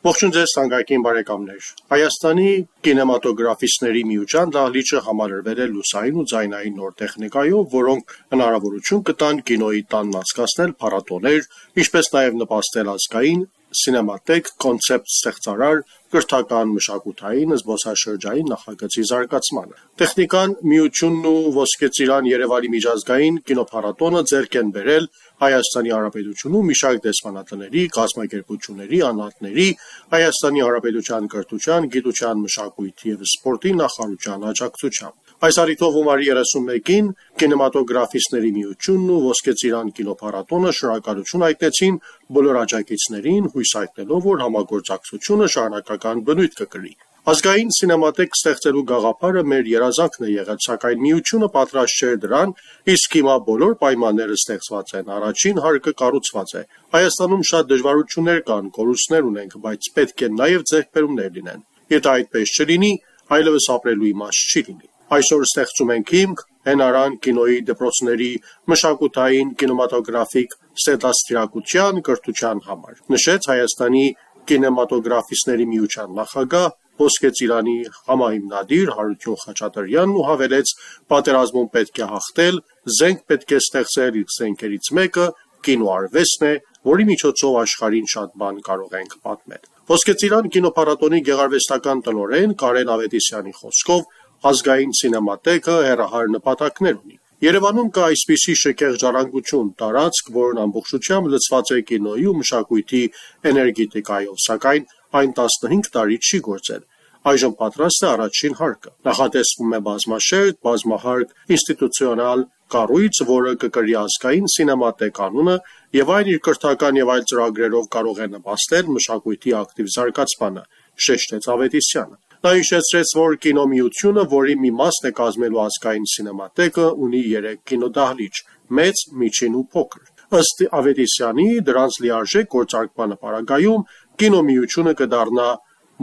Ողջույն ձեզ թանկագին բարեկամներ։ Հայաստանի կինեմատոգրաֆիստների միության դահլիճը համալրվել է լուսային ու ձայնային նոր տեխնիկայով, որոնք հնարավորություն կտան կինոյի տանն անցկացնել փառատոներ, ինչպես նաև նպաստել ազգային սինեմատեք կոնցեպտ ստեղծարար կրթական մշակութային զբոսաշրջային նախագծի զարգացմանը։ Տեխնիկան, միությունն ու Ոսկե Ծիրան Երևանի միջազգային կինոփառատոնը ձեռք են բերել Հայաստանի Հանրապետությունում մի շարք դեսպանատների, կազմակերպությունների, անհատների, Հայաստանի Հանրապետության կրթության, գիտության, մշակույթի և սպորտի նախարարության աջակցությամբ։ Այս առիթով հունվարի 31-ին կինեմատոգրաֆիստների միությունն ու Ոսկե Ծիրան կինոփառատոնը շնորհակալություն հայտնեցին բոլոր աջակիցներին, հույս հայտնելով, որ համագործակցությունը շարունակական բնույթ կկրի։ Ազգային սինեմատեք ստեղծելու գաղափարը մեր երազանքն է եղել, սակայն միությունը պատրաստ չէր դրան, իսկ հիմա բոլոր պայմանները ստեղծված են, առաջին հարկը կառուցված է։ Հայաստանում շատ դժվարություններ կան, կորուստներ ունենք, բայց պետք է նաև ձեռքբերումներ լինեն։ Եթե այդպես չլինի, այլևս ապրելու իմաստ չի լինի։ Այսօր ստեղծում ենք հիմք հենարան կինոյի դպրոցների մշակութային կինեմատոգրաֆիկ ստեղծարարության կրթության համար, նշեց Հայաստանի կինեմատոգրաֆիստների միության նախագահ Ոսկե Ծիրանի համահիմնադիր Հարություն Խաչատրյանն ու հավելեց, պատերազմում պետք է հաղթել, զենք պետք է ստեղծել, իսկ զենքերից մեկը կինոարվեստն է, որի միջոցով աշխարհին շատ բան կարող ենք պատմել։ Ոսկե Ծիրան կինոփառատոնի գեղարվեստական տնօրեն Կարեն Ավետիսյանի խոսքով ազգային սինեմատեկը հեռահար նպատակներ ունի։ Երևանում կա այսպիսի շքեղ ժառանգություն, տարածք, որն ամբողջությամբ լցված է կինոյի ու մշակույթի էներգետիկայով, սակայն այն 15 տարի չի գործել։ Այժմ պատրաստ է առաջին հարկը։ Նախատեսվում է բազմաշերտ, բազմահարկ ինստիտուցիոնալ կառույց, որը կկրի ազգային սինեմատեք անունը, եւ այն իր կրթական եւ այլ ծրագրերով կարող է նպաստել մշակույթի ակտիվ զարգացմանը, շեշտեց Ավետիսյանը։ Նա հիշեցրեց, որ կինոմիությունը, որի մի մասն է կազմելու ազգային սինեմատեկը, ունի 3 կինոդահլիճ՝ մեծ, միջին ու փոքր։ Ըստ Ավետիսյանի, դրանց լիարժեք գործարկման պարագայում կինոմիությունը կդառնա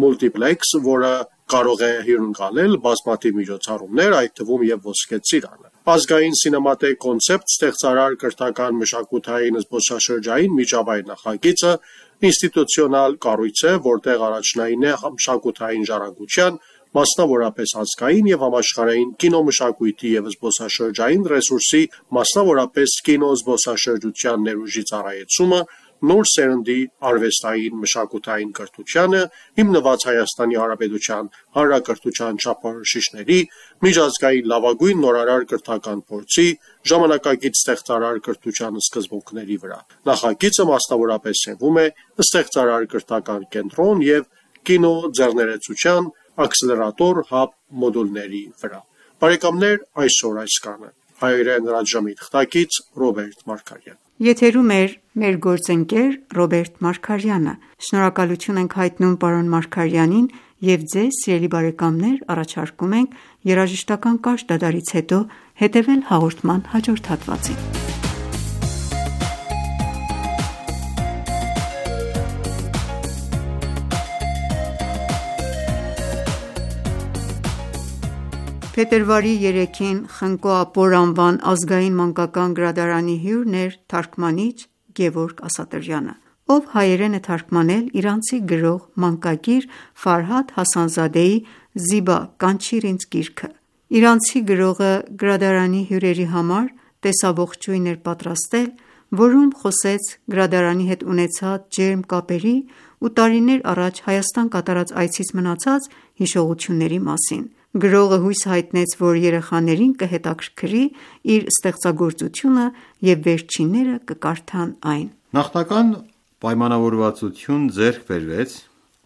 մուլտիպլեքս, որը կարող է հյուրընկալել բազմաթիվ միջոցառումներ, այդ թվում եւ Ոսկե Ծիրանը։ Ազգային սինեմատեք կոնցեպտ ստեղծարար կրթական մշակութային զբոսաշրջային միջավայր նախագիծը ինստիտուցիոնալ կառույց է, որտեղ առաջնային է մշակութային ժառանգության, մասնավորապես ազգային եւ համաշխարհային կինոմշակույթի եւ զբոսաշրջային ռեսուրսի, մասնավորապես կինոզբոսաշրջության ներուժի ծառայեցումը, նոր սերնդի արվեստային մշակութային կրթությանը, հիմնված Հայաստանի Հանրապետության հանրակրթության չափորոշիչների, միջազգային լավագույն նորարար կրթական փորձի, ժամանակակից ստեղծարար կրթության սկզբունքների վրա։ Նախագիծը մասնավորապես սերվում է ստեղծարար կրթական կենտրոն եւ կինոձեռներեցության աքսելերատոր հաբ մոդուլների վրա։ Բարեկամներ, այսօր այսքանը։ Հայերեն ռադիոժամի թղթակից Ռոբերտ Մարգարյան։ Եթերում էր մեր գործընկեր Ռոբերտ Մարգարյանը։ Շնորհակալություն ենք հայտնում պարոն Մարգարյանին եւ ձեզ, սիրելի բարեկամներ, առաջարկում ենք երաժշտական կարճ դադարից հետո հետեւել հաղորդման հաջորդ հատվածին։ Փետրվարի 3-ին Խնկո Ապոր անվան ազգային մանկական գրադարանի հյուրն էր թարգմանիչ Գևորգ Ասատրյանը, ով հայերեն է թարգմանել իրանցի գրող մանկագիր Ֆարհադ Հասանզադեի «Զիբա, կանչիր ինձ» գիրքը։ Իրանցի գրողը գրադարանի հյուրերի համար տեսաողջույն էր պատրաստել, որում խոսեց գրադարանի հետ ունեցած ջերմ կապերի ու տարիներ առաջ Հայաստան կատարած այցից մնացած հիշողությունների մասին։ Գրողը հույս հայտնեց, որ երեխաներին կհետաքրքրի իր ստեղծագործությունը և վերջինները կկարդան այն։ Նախնական պայմանավորվածություն ձեռք բերվեց,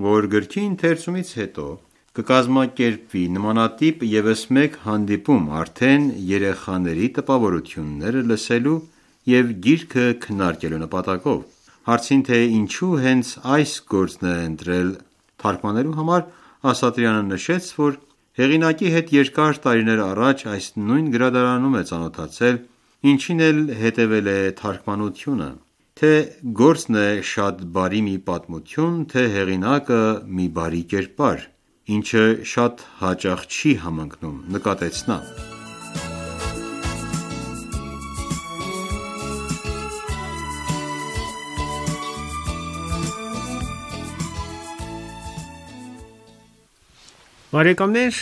որ գրքի ընթերցումից հետո կկազմակերպվի նմանատիպ ևս մեկ հանդիպում արդեն երեխաների տպավորությունները լսելու և գիրքը քննարկելու նպատակով։ Հարցին, թե ինչու հենց այս գործն է ընտրել թարգմանելու համար, Ասատրյանը նշեց, որ հեղինակի հետ երկար տարիներ առաջ այս նույն գրադարանում է ծանոթացել, ինչին էլ հետևել է թարգմանությունը, թե գործն է շատ բարի մի պատմություն, թե հեղինակը մի բարի կերպար, ինչը շատ հաճախ չի համընկնում, նկատեց նա։ Բարեկամներ,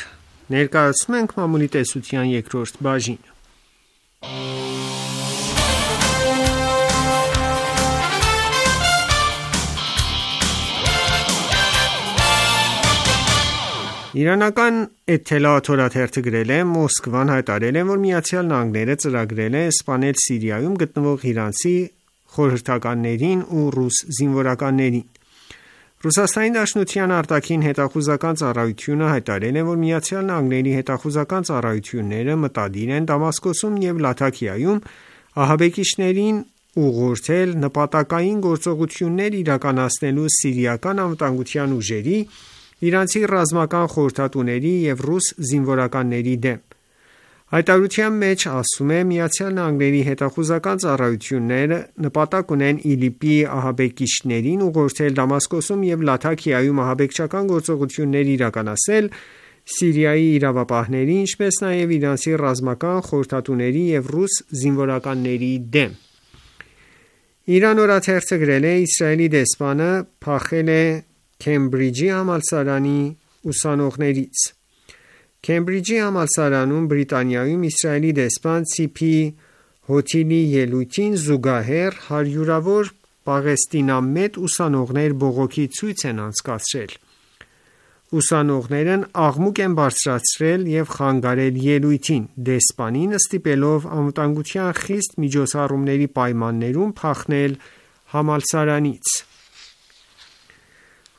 ներկայացնում ենք մամուլի տեսության երկրորդ բաժինը։ Իրանական Էթելաաթ օրաթերթը գրել է. Մոսկվան հայտարարել է, որ Միացյալ Նահանգները ծրագրել է սպանել Սիրիայում գտնվող իրանցի խորհրդականներին ու ռուս զինվորականներին։ Ռուսաստանի Դաշնության արտաքին հետախուզական ծառայությունը հայտարարել է, որ Միացյալ Նահանգների հետախուզական ծառայությունները մտադիր են Դամասկոսում և Լաթաքիայում ահաբեկիչներին ուղղորդել նպատակային գործողություններ իրականացնելու սիրիական անվտանգության ուժերի, իրանցի ռազմական խորհրդատուների և ռուս զինվորականների դեմ։ Հայտարարության մեջ ասվում է. Միացյալ Նահանգների հետախուզական ծառայությունները նպատակ ունեն ԻԼԻՊ-ի ահաբեկիչներին ուղղորդել Դամասկոսում և Լաթաքիայում ահաբեկչական գործողություններ իրականացնել Սիրիայի իրավապահների, ինչպես նաև իրանցի ռազմական խորհրդատուների և ռուս զինվորականների դեմ։ Իրան օրաթերթը գրել է. Իսրայելի դեսպանը փախել է Քեմբրիջի համալսարանի ուսանողներից։ Քեմբրիջի համալսարանում Բրիտանիայում Իսրայելի դեսպան Ցիփի Հոթիլի ելույթին զուգահեռ հարյուրավոր պաղեստինամետ ուսանողներ բողոքի ցույց են անցկացրել։ Ուսանողներն աղմուկ են բարձրացրել և խանգարել ելույթին, դեսպանին ստիպելով անվտանգության խիստ միջոցառումների պայմաններում փախնել համալսարանից։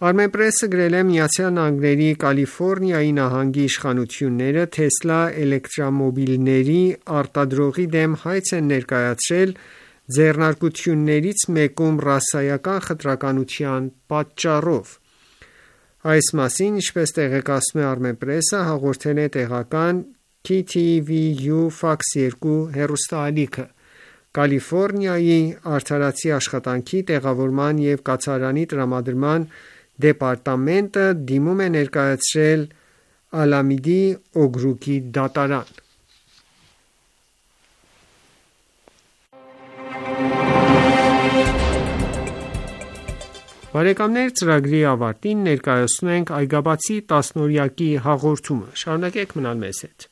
Armenpress-ը գրել է. Միացյալ Նահանգների Կալիֆոռնիայի նահանգի իշխանությունները Թեսլա էլեկտրամոբիլների արտադրողի դեմ հայց են ներկայացրել ձեռնարկություններից մեկում ռասայական խտրականության պատճառով։ Այս մասին, ինչպես տեղեկացնում է Armenpress-ը, հաղորդել է տեղական KTVU Fox 2 հեռուստաալիքը։ Կալիֆոռնիայի արդարացի աշխատանքի տեղավորման և կացարանի տրամադրման դեպարտամենտը դիմում է ներկայացրել Ալամիդի օգրուկի դատարան։ Բարեկամներ, ծրագրի ավարտին ներկայացնում ենք Այգաբացի տասնօրյակի հաղորդումը։ Շարունակեք մնալ մեզ հետ։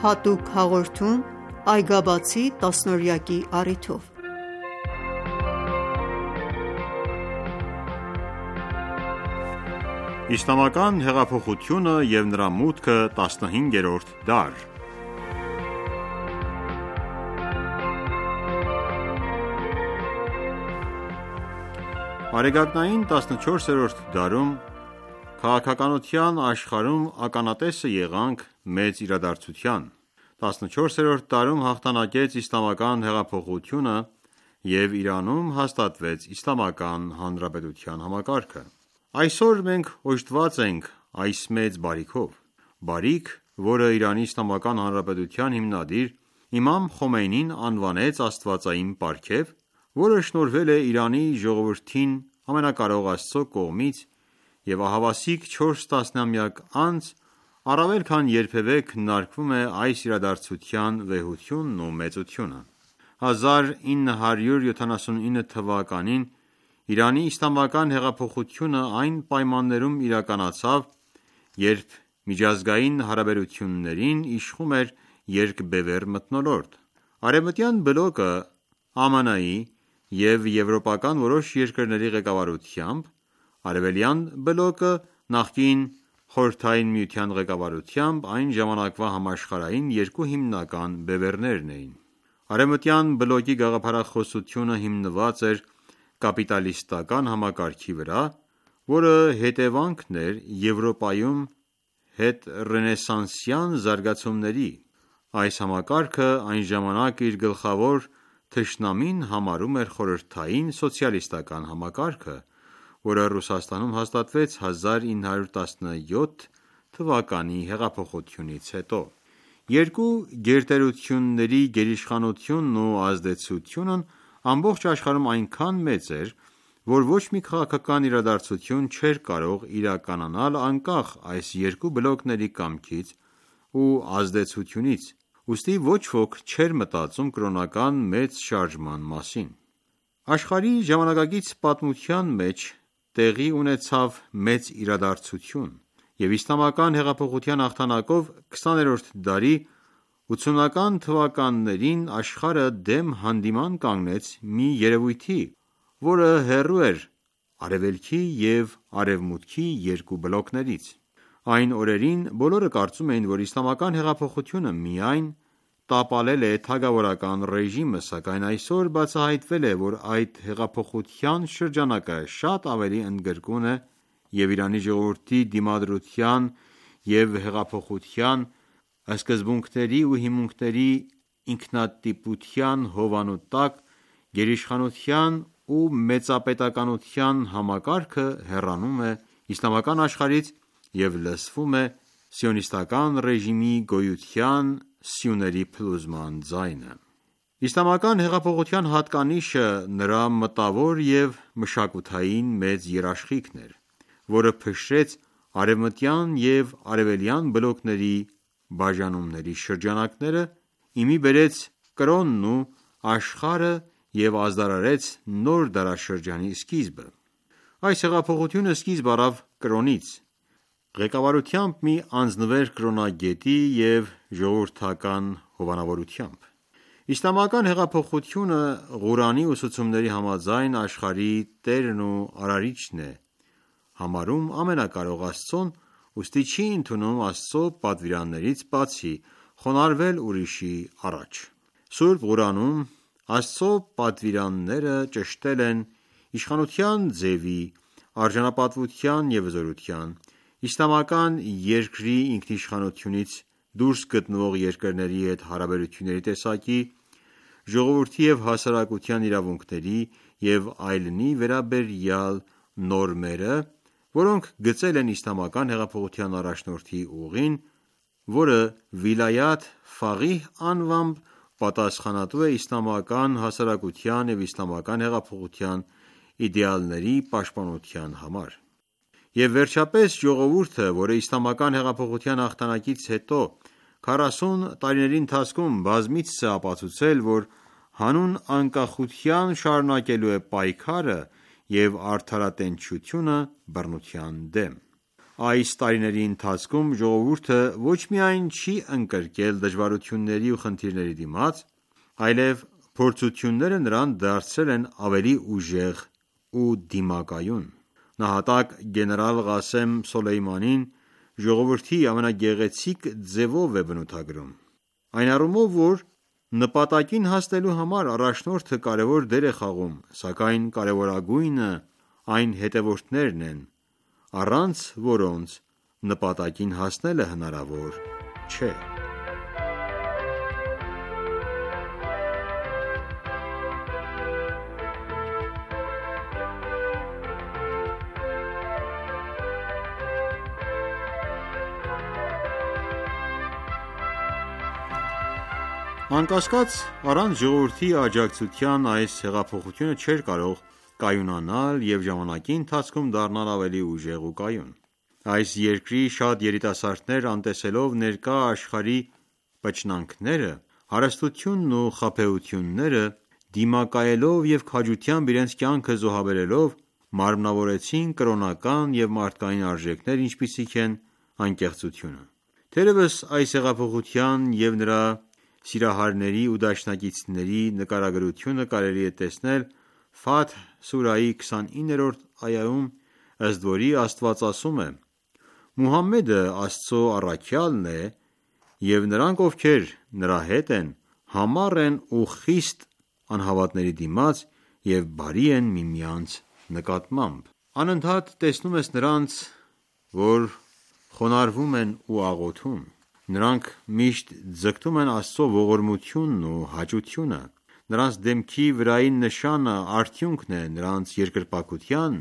Հատուկ հաղորդում Այգաբացի տասնօրյակի առիթով։ Իսլամական հեղափոխությունը և նրա մուտքը 15-րդ դար Արեգակնային 14-րդ դարում քաղաքականության աշխարհում ականատեսը եղանք մեծ իրադարձության: 14-րդ դարում հաղթանակեց իսլամական հեղափոխությունը և Իրանում հաստատվեց Իսլամական Հանրապետության համակարգը: Այսօր մենք օժտված ենք այս մեծ բարիքով: Բարիք, որը Իրանի Իսլամական Հանրապետության հիմնադիր իմամ Խոմեյնին անվանեց աստվածային պարգև, որը շնորհվել է Իրանի ժողովրդին ամենակարող Աստծո կողմից և ահավասիկ 4 տասնամյակ անց առավել քան երբևէ քննարկվում է այս իրադարձության վեհությունն ու մեծությունը: 1979 թվականին Իրանի իսլամական հեղափոխությունը այն պայմաններում իրականացավ, երբ միջազգային հարաբերություններին իշխում էր երկբևեռ մթնոլորտ: Արևմտյան բլոկը ԱՄՆ-ի և եվրոպական որոշ երկրների ղեկավարությամբ, Արևելյան բլոկը նախկին Խորհրդային Միության ղեկավարությամբ այն ժամանակվա համաշխարհային երկու հիմնական բևեռներն էին: Արևմտյան բլոկի գաղափարախոսությունը հիմնված էր կապիտալիստական համակարգի վրա, որը հետևանքն էր Եվրոպայում հետռենեսանսյան զարգացումների: Այս համակարգը այն ժամանակ իր գլխավոր թշնամին համարում էր խորհրդային սոցիալիստական համակարգը, որը Ռուսաստանում հաստատվեց 1917 թվականի հեղափոխությունից հետո: Երկու գերտերությունների գերիշխանությունն ու ազդեցությունն ամբողջ աշխարհում այնքան մեծ էր, որ ոչ մի քաղաքական իրադարձություն չէր կարող իրականանալ անկախ այս երկու բլոկների կամքից ու ազդեցությունից, ուստի ոչ ոք չէր մտածում կրոնական մեծ շարժման մասին: Աշխարհի ժամանակակից պատմության մեջ տեղի ունեցավ մեծ իրադարձություն և իսլամական հեղափոխության հաղթանակով 20-րդ դարի 80-ական թվականներին աշխարհը դեմ հանդիման կանգնեց մի երևույթի, որը հեռու էր արևելքի և արևմուտքի երկու բլոկներից: Այն օրերին բոլորը կարծում էին, որ իսլամական հեղափոխությունը միայն տապալել է թագավորական ռեժիմը, սակայն այսօր բացահայտվել է, որ այդ հեղափոխության շրջանակը շատ ավելի ընդգրկուն է և Իրանի ժողովրդի դիմադրության և հեղափոխության սկզբունքների ու հիմունքների ինքնատիպության հովանու տակ գերիշխանության ու մեծապետականության համակարգը հեռանում է իսլամական աշխարհից և լսվում է սիոնիստական ռեժիմի գոյության սյուների փլուզման ձայնը: Իսլամական հեղափոխության հատկանիշը նրա մտավոր և մշակութային մեծ երաշխիքն էր, որը փշրեց արևմտյան և արևելյան բլոկների բաժանումների շրջանակները, ի մի բերեց կրոնն ու աշխարհը և ազդարարեց նոր դարաշրջանի սկիզբը: Այս հեղափոխությունը սկիզբ առավ կրոնից, ղեկավարությամբ մի անձնվեր կրոնագետի և ժողովրդական հովանավորությամբ: Իսլամական հեղափոխությունը Ղուրանի ուսուցումների համաձայն աշխարհի տերն ու արարիչն է համարում ամենակարող Աստծուն, ուստի չի ընդունում Աստծո պատվիրաններից բացի խոնարհվել ուրիշի առաջ: Սուրբ Ղուրանում Աստծո պատվիրանները ճշտել են իշխանության ձևի, արժանապատվության և հզորության, իսլամական երկրի ինքնիշխանությունից դուրս գտնվող երկրների հետ հարաբերությունների տեսակի, ժողովրդի և հասարակության իրավունքների և այլնի վերաբերյալ նորմերը, որոնք գծել են իսլամական հեղափոխության առաջնորդի ուղին, որը Վիլայաթ Ֆաղիհ անվամբ պատասխանատու է իսլամական հասարակության և իսլամական հեղափոխության իդեալների պաշտպանության համար: Եվ վերջապես ժողովուրդը, որը իսլամական հեղափոխության հաղթանակից հետո 40 տարիների ընթացքում բազմիցս է ապացուցել, որ հանուն անկախության շարունակելու է պայքարը և արդարատենչությունը բռնության դեմ։ Այս տարիների ընթացքում ժողովուրդը ոչ միայն չի ընկրկել դժվարությունների ու խնդիրների դիմաց, այլև փորձությունները նրան դարձրել են ավելի ուժեղ ու դիմակայուն։ Նահատակ գեներալ Ղասեմ Սոլեյմանին ժողովրդի ամենագեղեցիկ ձևով է բնութագրում, այն առումով, որ նպատակին հասնելու համար առաջնորդը կարևոր դեր է խաղում, սակայն կարևորագույնը այն հետևորդներն են, առանց որոնց նպատակին հասնելը հնարավոր չէ։ Անկասկած, առանց ժողովրդի աջակցության այս հեղափոխությունը չէր կարող կայունանալ և ժամանակի ընթացքում դառնալ ավելի ուժեղ ու կայուն։ Այս երկրի շատ երիտասարդներ, անտեսելով ներկա աշխարհի պչնանքները, հարստությունն ու խաբեությունները, դիմակայելով և քաջությամբ իրենց կյանքը զոհաբերելով, մարմնավորեցին կրոնական և մարդկային արժեքներ, ինչպիսիք են անկեղծությունը։ Թերևս այս հեղափոխության և նրա սիրահարների ու դաշնակիցների նկարագրությունը կարելի է տեսնել Ֆաթհ սուրահի 29-րդ այայում, ըստ որի Աստված ասում է. «Մուհամմեդը Աստծո առաքյալն է, և նրանք, ովքեր նրա հետ են, համառ են ու խիստ անհավատների դիմաց և բարի են միմյանց նկատմամբ»։ Անընդհատ տեսնում ես նրանց, որ խոնարհվում են ու աղոթում։ Նրանք միշտ ձգտում են Աստծո ողորմությունն ու հաճությունը։ Նրանց դեմքի վրայի նշանը արդյունքն է նրանց երկրպագության։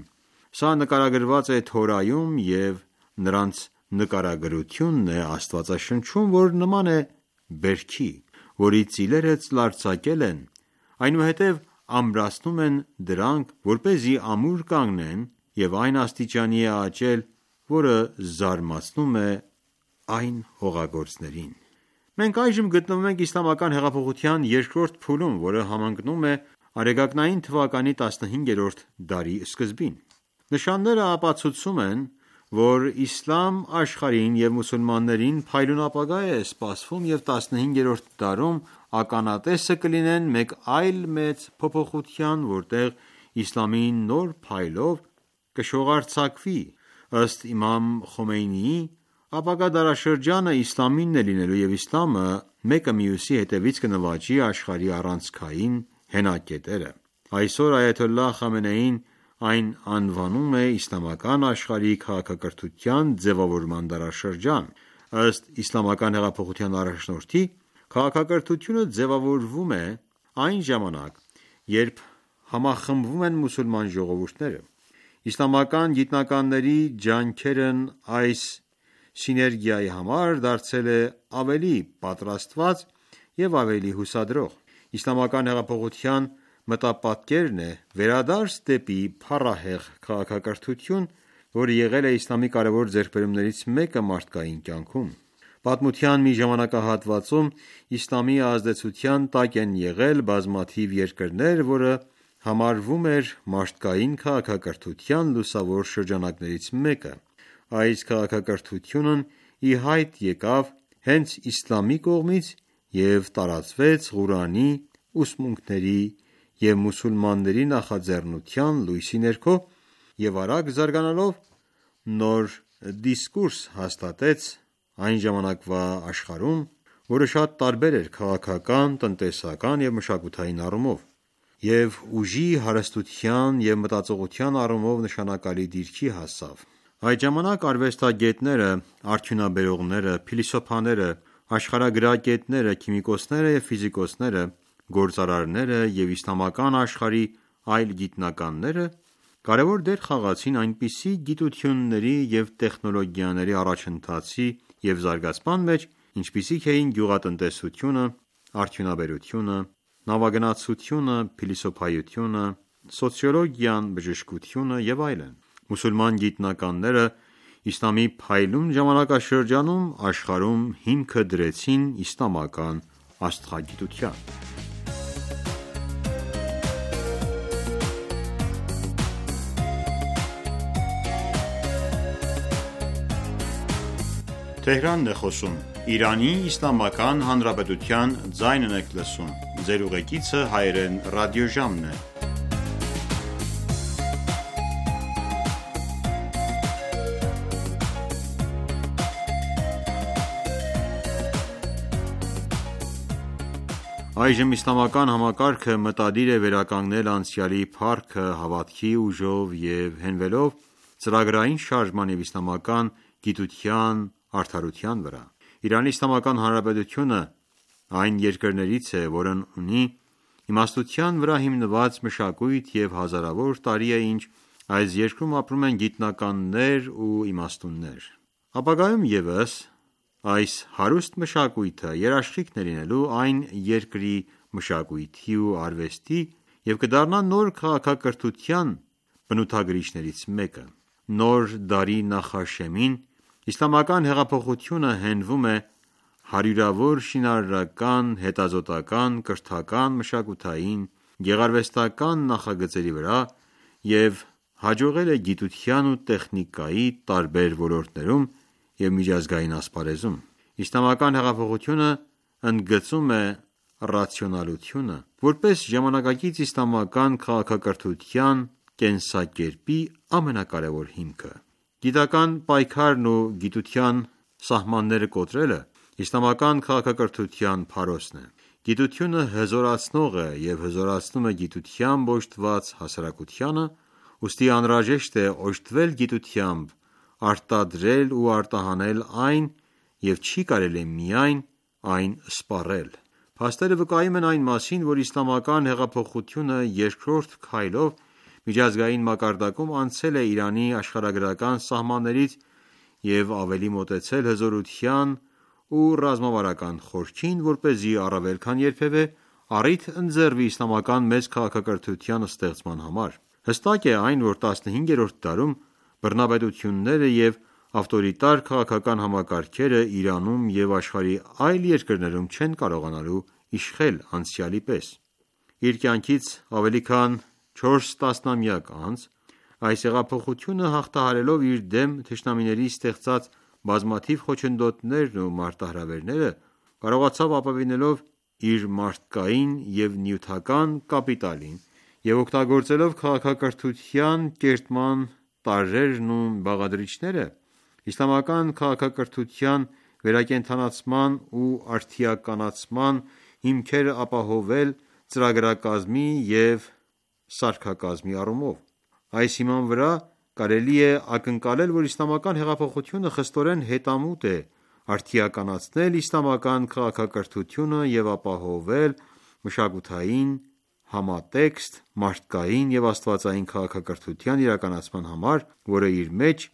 Սա նկարագրված է Թորայում և նրանց նկարագրությունն է Աստվածաշնչում, որ նման է բերքի, որի ծիլերը ծլարձակել են, այնուհետև ամրացնում են դրանք, որպեսզի ամուր կանգնեն, և այն աստիճանի է աճել, որը զարմացնում է այն հողագործներին։ Մենք այժմ գտնվում ենք իսլամական հեղափոխության երկրորդ փուլում, որը համընկնում է Արեգակնային թվականի 15-րդ դարի սկզբին։ Նշանները ապացուցում են, որ իսլամ աշխարհին և մուսուլմաններին փայլուն ապագա է սպասվում և 15-րդ դարում ականատեսը կլինեն մեկ այլ մեծ փոփոխության, որտեղ իսլամի նոր փայլով կշողարձակվի։ Ըստ իմամ Խոմեյնիի, ապագա դարաշրջանը իսլամինն է լինելու և իսլամը մեկը մյուսի հետևից կնվաճի աշխարհի առանցքային հենակետերը։ Այսօր այաթոլլահ Խամենեին այն անվանում է իսլամական աշխարհի քաղաքակրթության ձևավորման դարաշրջան։ Ըստ իսլամական հեղափոխության առաջնորդի, քաղաքակրթությունը ձևավորվում է այն ժամանակ, երբ համախմբվում են մուսուլման ժողովուրդները։ Իսլամական գիտնականների ջանքերն այս սիներգիայի համար դարձել է ավելի պատրաստված և ավելի հուսադրող։ Իսլամական հեղափոխության մտապատկերն է վերադարձ դեպի փառահեղ քաղաքակրթություն, որը եղել է իսլամի կարևոր ձեռքբերումներից մեկը մարդկային կյանքում։ Պատմության մի ժամանակահատվածում իսլամի ազդեցության տակ են եղել բազմաթիվ երկրներ, որը համարվում էր մարդկային քաղաքակրթության լուսավոր շրջանակներից մեկը։ Այս քաղաքակրթությունն ի հայտ եկավ հենց իսլամի կողմից և տարածվեց Ղուրանի ուսմունքների և մուսուլմանների նախաձեռնության լույսի ներքո և արագ զարգանալով նոր դիսկուրս հաստատեց այն ժամանակվա աշխարհում, որը շատ տարբեր էր քաղաքական, տնտեսական և մշակութային առումով, և ուժի, հարստության և մտածողության առումով նշանակալի դիրքի հասավ։ Այդ ժամանակ արվեստագետները, արդյունաբերողները, փիլիսոփաները, աշխարհագրագետները, քիմիկոսները և ֆիզիկոսները, գործարարները և իսլամական աշխարհի այլ գիտնականները կարևոր դեր խաղացին այնպիսի գիտությունների և տեխնոլոգիաների առաջընթացի և զարգացման մեջ, ինչպիսիք էին գյուղատնտեսությունը, արդյունաբերությունը, նավագնացությունը, փիլիսոփայությունը, սոցիոլոգիան, բժշկությունը և այլն։ Մուսուլման գիտնականները իսլամի փայլուն ժամանակաշրջանում աշխարհում հիմքը դրեցին իսլամական աստղագիտության։ Այժմ իսլամական համակարգը մտադիր է վերականգնել անցյալի փառքը հավատքի ուժով և հենվելով ծրագրային շարժման և իսլամական գիտության արդարության վրա։ Իրանի Իսլամական Հանրապետությունը այն երկրներից է, որն ունի իմաստության վրա հիմնված մշակույթ և հազարավոր տարի է ինչ այս երկրում ապրում են գիտնականներ ու իմաստուններ։ Ապագայում ևս այս հարուստ մշակույթը երաշխիքն է լինելու այն երկրի մշակույթի ու արվեստի և կդառնա նոր քաղաքակրթության բնութագրիչներից մեկը։ Նոր դարի նախաշեմին իսլամական հեղափոխությունը հենվում է հարյուրավոր շինարարական, հետազոտական, կրթական, մշակութային, գեղարվեստական նախագծերի վրա և հաջողել է գիտության ու տեխնիկայի տարբեր ոլորտներում և միջազգային ասպարեզում։ Իսլամական հեղափոխությունը ընդգծում է ռացիոնալությունը, որպես ժամանակակից իսլամական քաղաքակրթության կենսակերպի ամենակարևոր հիմքը։ Գիտական պայքարն ու գիտության սահմանները կոտրելը իսլամական քաղաքակրթության փարոսն է։ Գիտությունը հզորացնող է և հզորացնում է գիտությամբ օժտված հասարակությանը, ուստի անհրաժեշտ է օժտվել գիտությամբ, արտադրել ու արտահանել այն և չի կարելի միայն այն սպառել։ Փաստերը վկայում են այն մասին, որ իսլամական հեղափոխությունը երկրորդ քայլով միջազգային մակարդակում անցել է Իրանի աշխարհագրական սահմաններից և ավելի մոտեցել հզորության ու ռազմավարական խորքին, որպեսզի առավել քան երբևէ առիթ ընձեռվի իսլամական մեծ քաղաքակրթության ստեղծման համար։ Հստակ է այն, որ 15-րդ դարում բռնապետությունները և ավտորիտար քաղաքական համակարգերը Իրանում և աշխարհի այլ երկրներում չեն կարողանալու իշխել անցյալի պես։ Իր կյանքից ավելի քան 4 տասնամյակ անց այս հեղափոխությունը հաղթահարելով իր դեմ թշնամիների ստեղծած բազմաթիվ խոչընդոտներն ու մարտահրավերները, կարողացավ ապավինելով իր մարդկային և նյութական կապիտալին և օգտագործելով քաղաքակրթության կերտման տարրերն ու բաղադրիչները, իսլամական քաղաքակրթության վերակենդանացման ու արդիականացման հիմքերը ապահովել ծրագրակազմի և սարքակազմի առումով։ Այս հիման վրա կարելի է ակնկալել, որ իսլամական հեղափոխությունը խստորեն հետամուտ է արդիականացնել իսլամական քաղաքակրթությունը և ապահովել մշակութային համատեքստ մարդկային և աստվածային քաղաքակրթության իրականացման համար, որը իր մեջ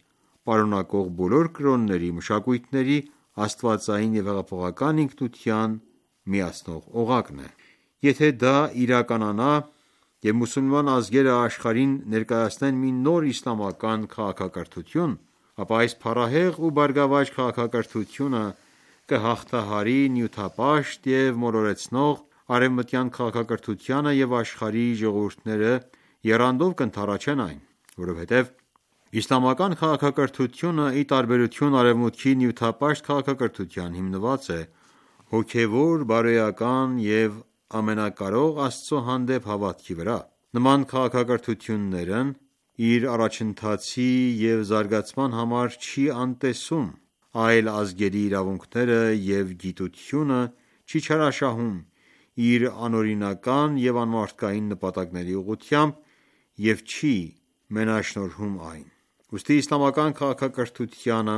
պարունակող բոլոր կրոնների, մշակույթների աստվածային և հեղափոխական ինքնության միացնող օղակն է։ Եթե դա իրականանա և մուսուլման ազգերը աշխարհին ներկայացնեն մի նոր իսլամական քաղաքակրթություն, ապա այս փառահեղ ու բարգավաճ քաղաքակրթությունը կհաղթահարի նյութապաշտ և մոլորեցնող արևմտյան քաղաքակրթությանը և աշխարհի ժողովուրդները եռանդով կընդառաջեն այն, որովհետև իսլամական քաղաքակրթությունը, ի տարբերություն արևմուտքի նյութապաշտ քաղաքակրթության, հիմնված է հոգևոր, բարոյական և ամենակարող Աստծո հանդեպ հավատքի վրա։ Նման քաղաքակրթություններն իր առաջընթացի և զարգացման համար չի անտեսում այլ ազգերի իրավունքները և գիտությունը չի չարաշահում իր անօրինական և անմարդկային նպատակների ուղղությամբ և չի մենաշնորհում այն։ Ուստի իսլամական քաղաքակրթությանը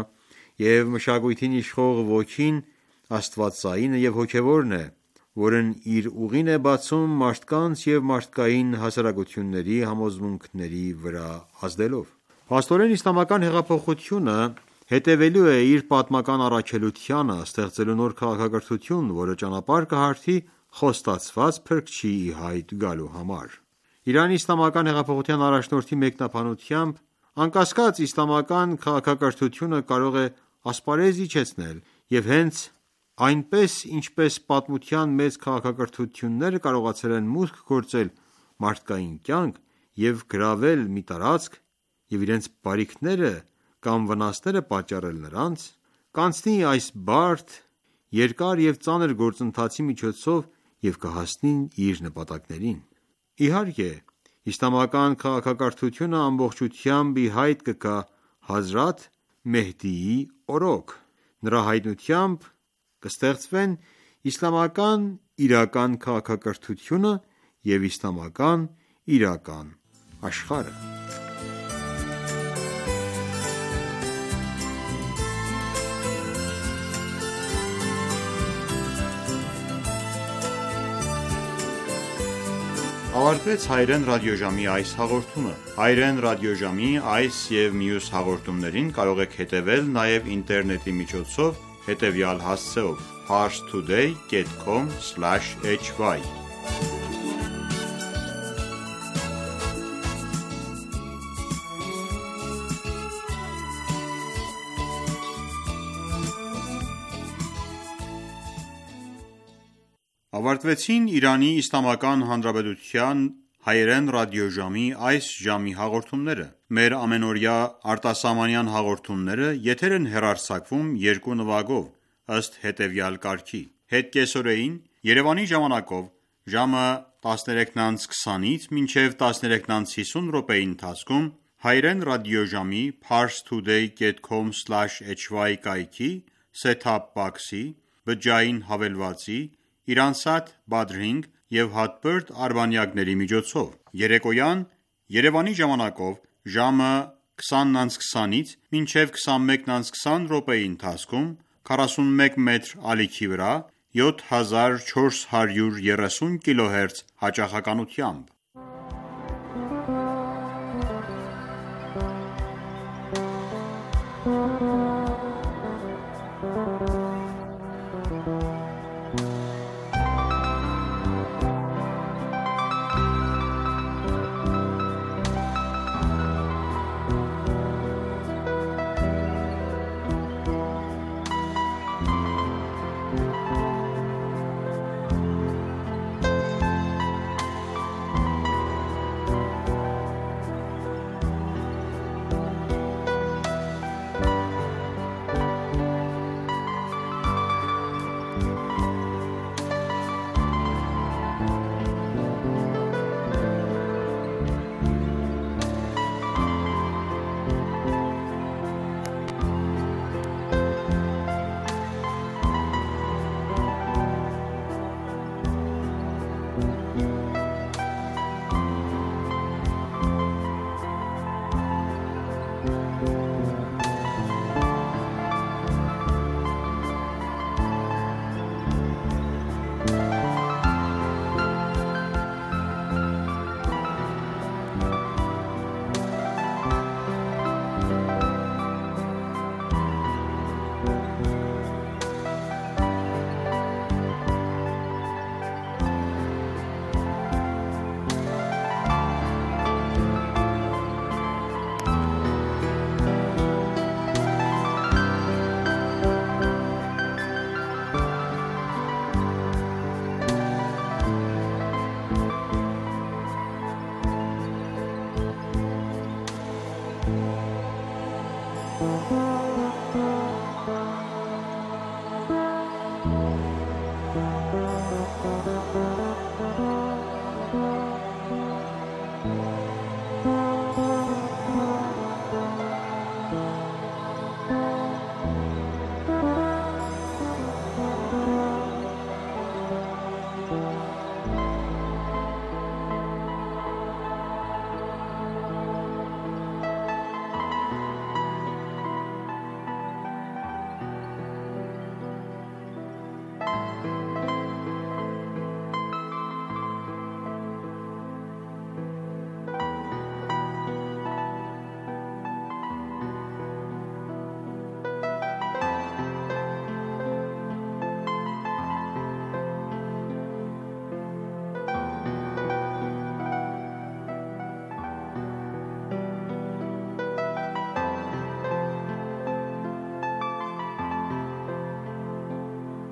և մշակույթին իշխող ոգին աստվածայինը և հոգևորն է, որն իր ուղին է բացում մարդկանց և մարդկային հասարակությունների համոզմունքների վրա ազդելով։ Փաստորեն, իսլամական հեղափոխությունը հետևելու է իր պատմական առաքելությանը՝ ստեղծելու նոր քաղաքակրթություն, որը ճանապարհ կհարթի Խոստացված Փրկչի ի հայտ գալու համար։ Իրանի իսլամական հեղափոխության առաջնորդի մեկնաբանությամբ Անկասկած, իսլամական քաղաքակրթությունը կարող է ասպարեզ իջեցնել և հենց այնպես, ինչպես պատմության մեծ քաղաքակրթությունները կարողացել են մուտք գործել մարդկային կյանք և գրավել մի տարածք և իրենց բարիքները կամ վնասները պատճառել նրանց, կանցնի այս բարդ, երկար և ծանր գործընթացի միջոցով և կհասնի իր նպատակներին: Իհարկե, իսլամական քաղաքակրթությունը ամբողջությամբ ի հայտ կգա Հազրաթ Մեհդիի օրոք: Նրա հայտնությամբ կստեղծվեն իսլամական իրական քաղաքակրթությունը և իսլամական իրական աշխարհը: Ավարտվեց Հայրեն ռադիոժամի այս հաղորդումը: Հայրեն ռադիոժամի այս և մյուս հաղորդումներին կարող եք հետևել նաև ինտերնետի միջոցով հետևյալ հասցեով՝ parstoday.com/hy Ավարտվեցին Իրանի Իսլամական Հանրապետության հայերեն ռադիոժամի այս ժամի հաղորդումները: Մեր ամենօրյա արտասահմանյան հաղորդումները եթեր են հեռարձակվում երկու նվագով, ըստ հետևյալ կարգի: Հետկեսօրեին Երևանի ժամանակով ժամը 13:20-ից մինչև 13:50 ընթացքում հայերեն ռադիոժամի parstoday.com/hy կայքի set-top box-ի, բջջային հավելվածի, Iransat Badrink և հատբերդ արբանյակների միջոցով: Երեկոյան Երևանի ժամանակով ժամը 20:20-ից մինչև 21:20 ընթացքում 41 մետր ալիքի վրա 7430 kHz հաճախականությամբ: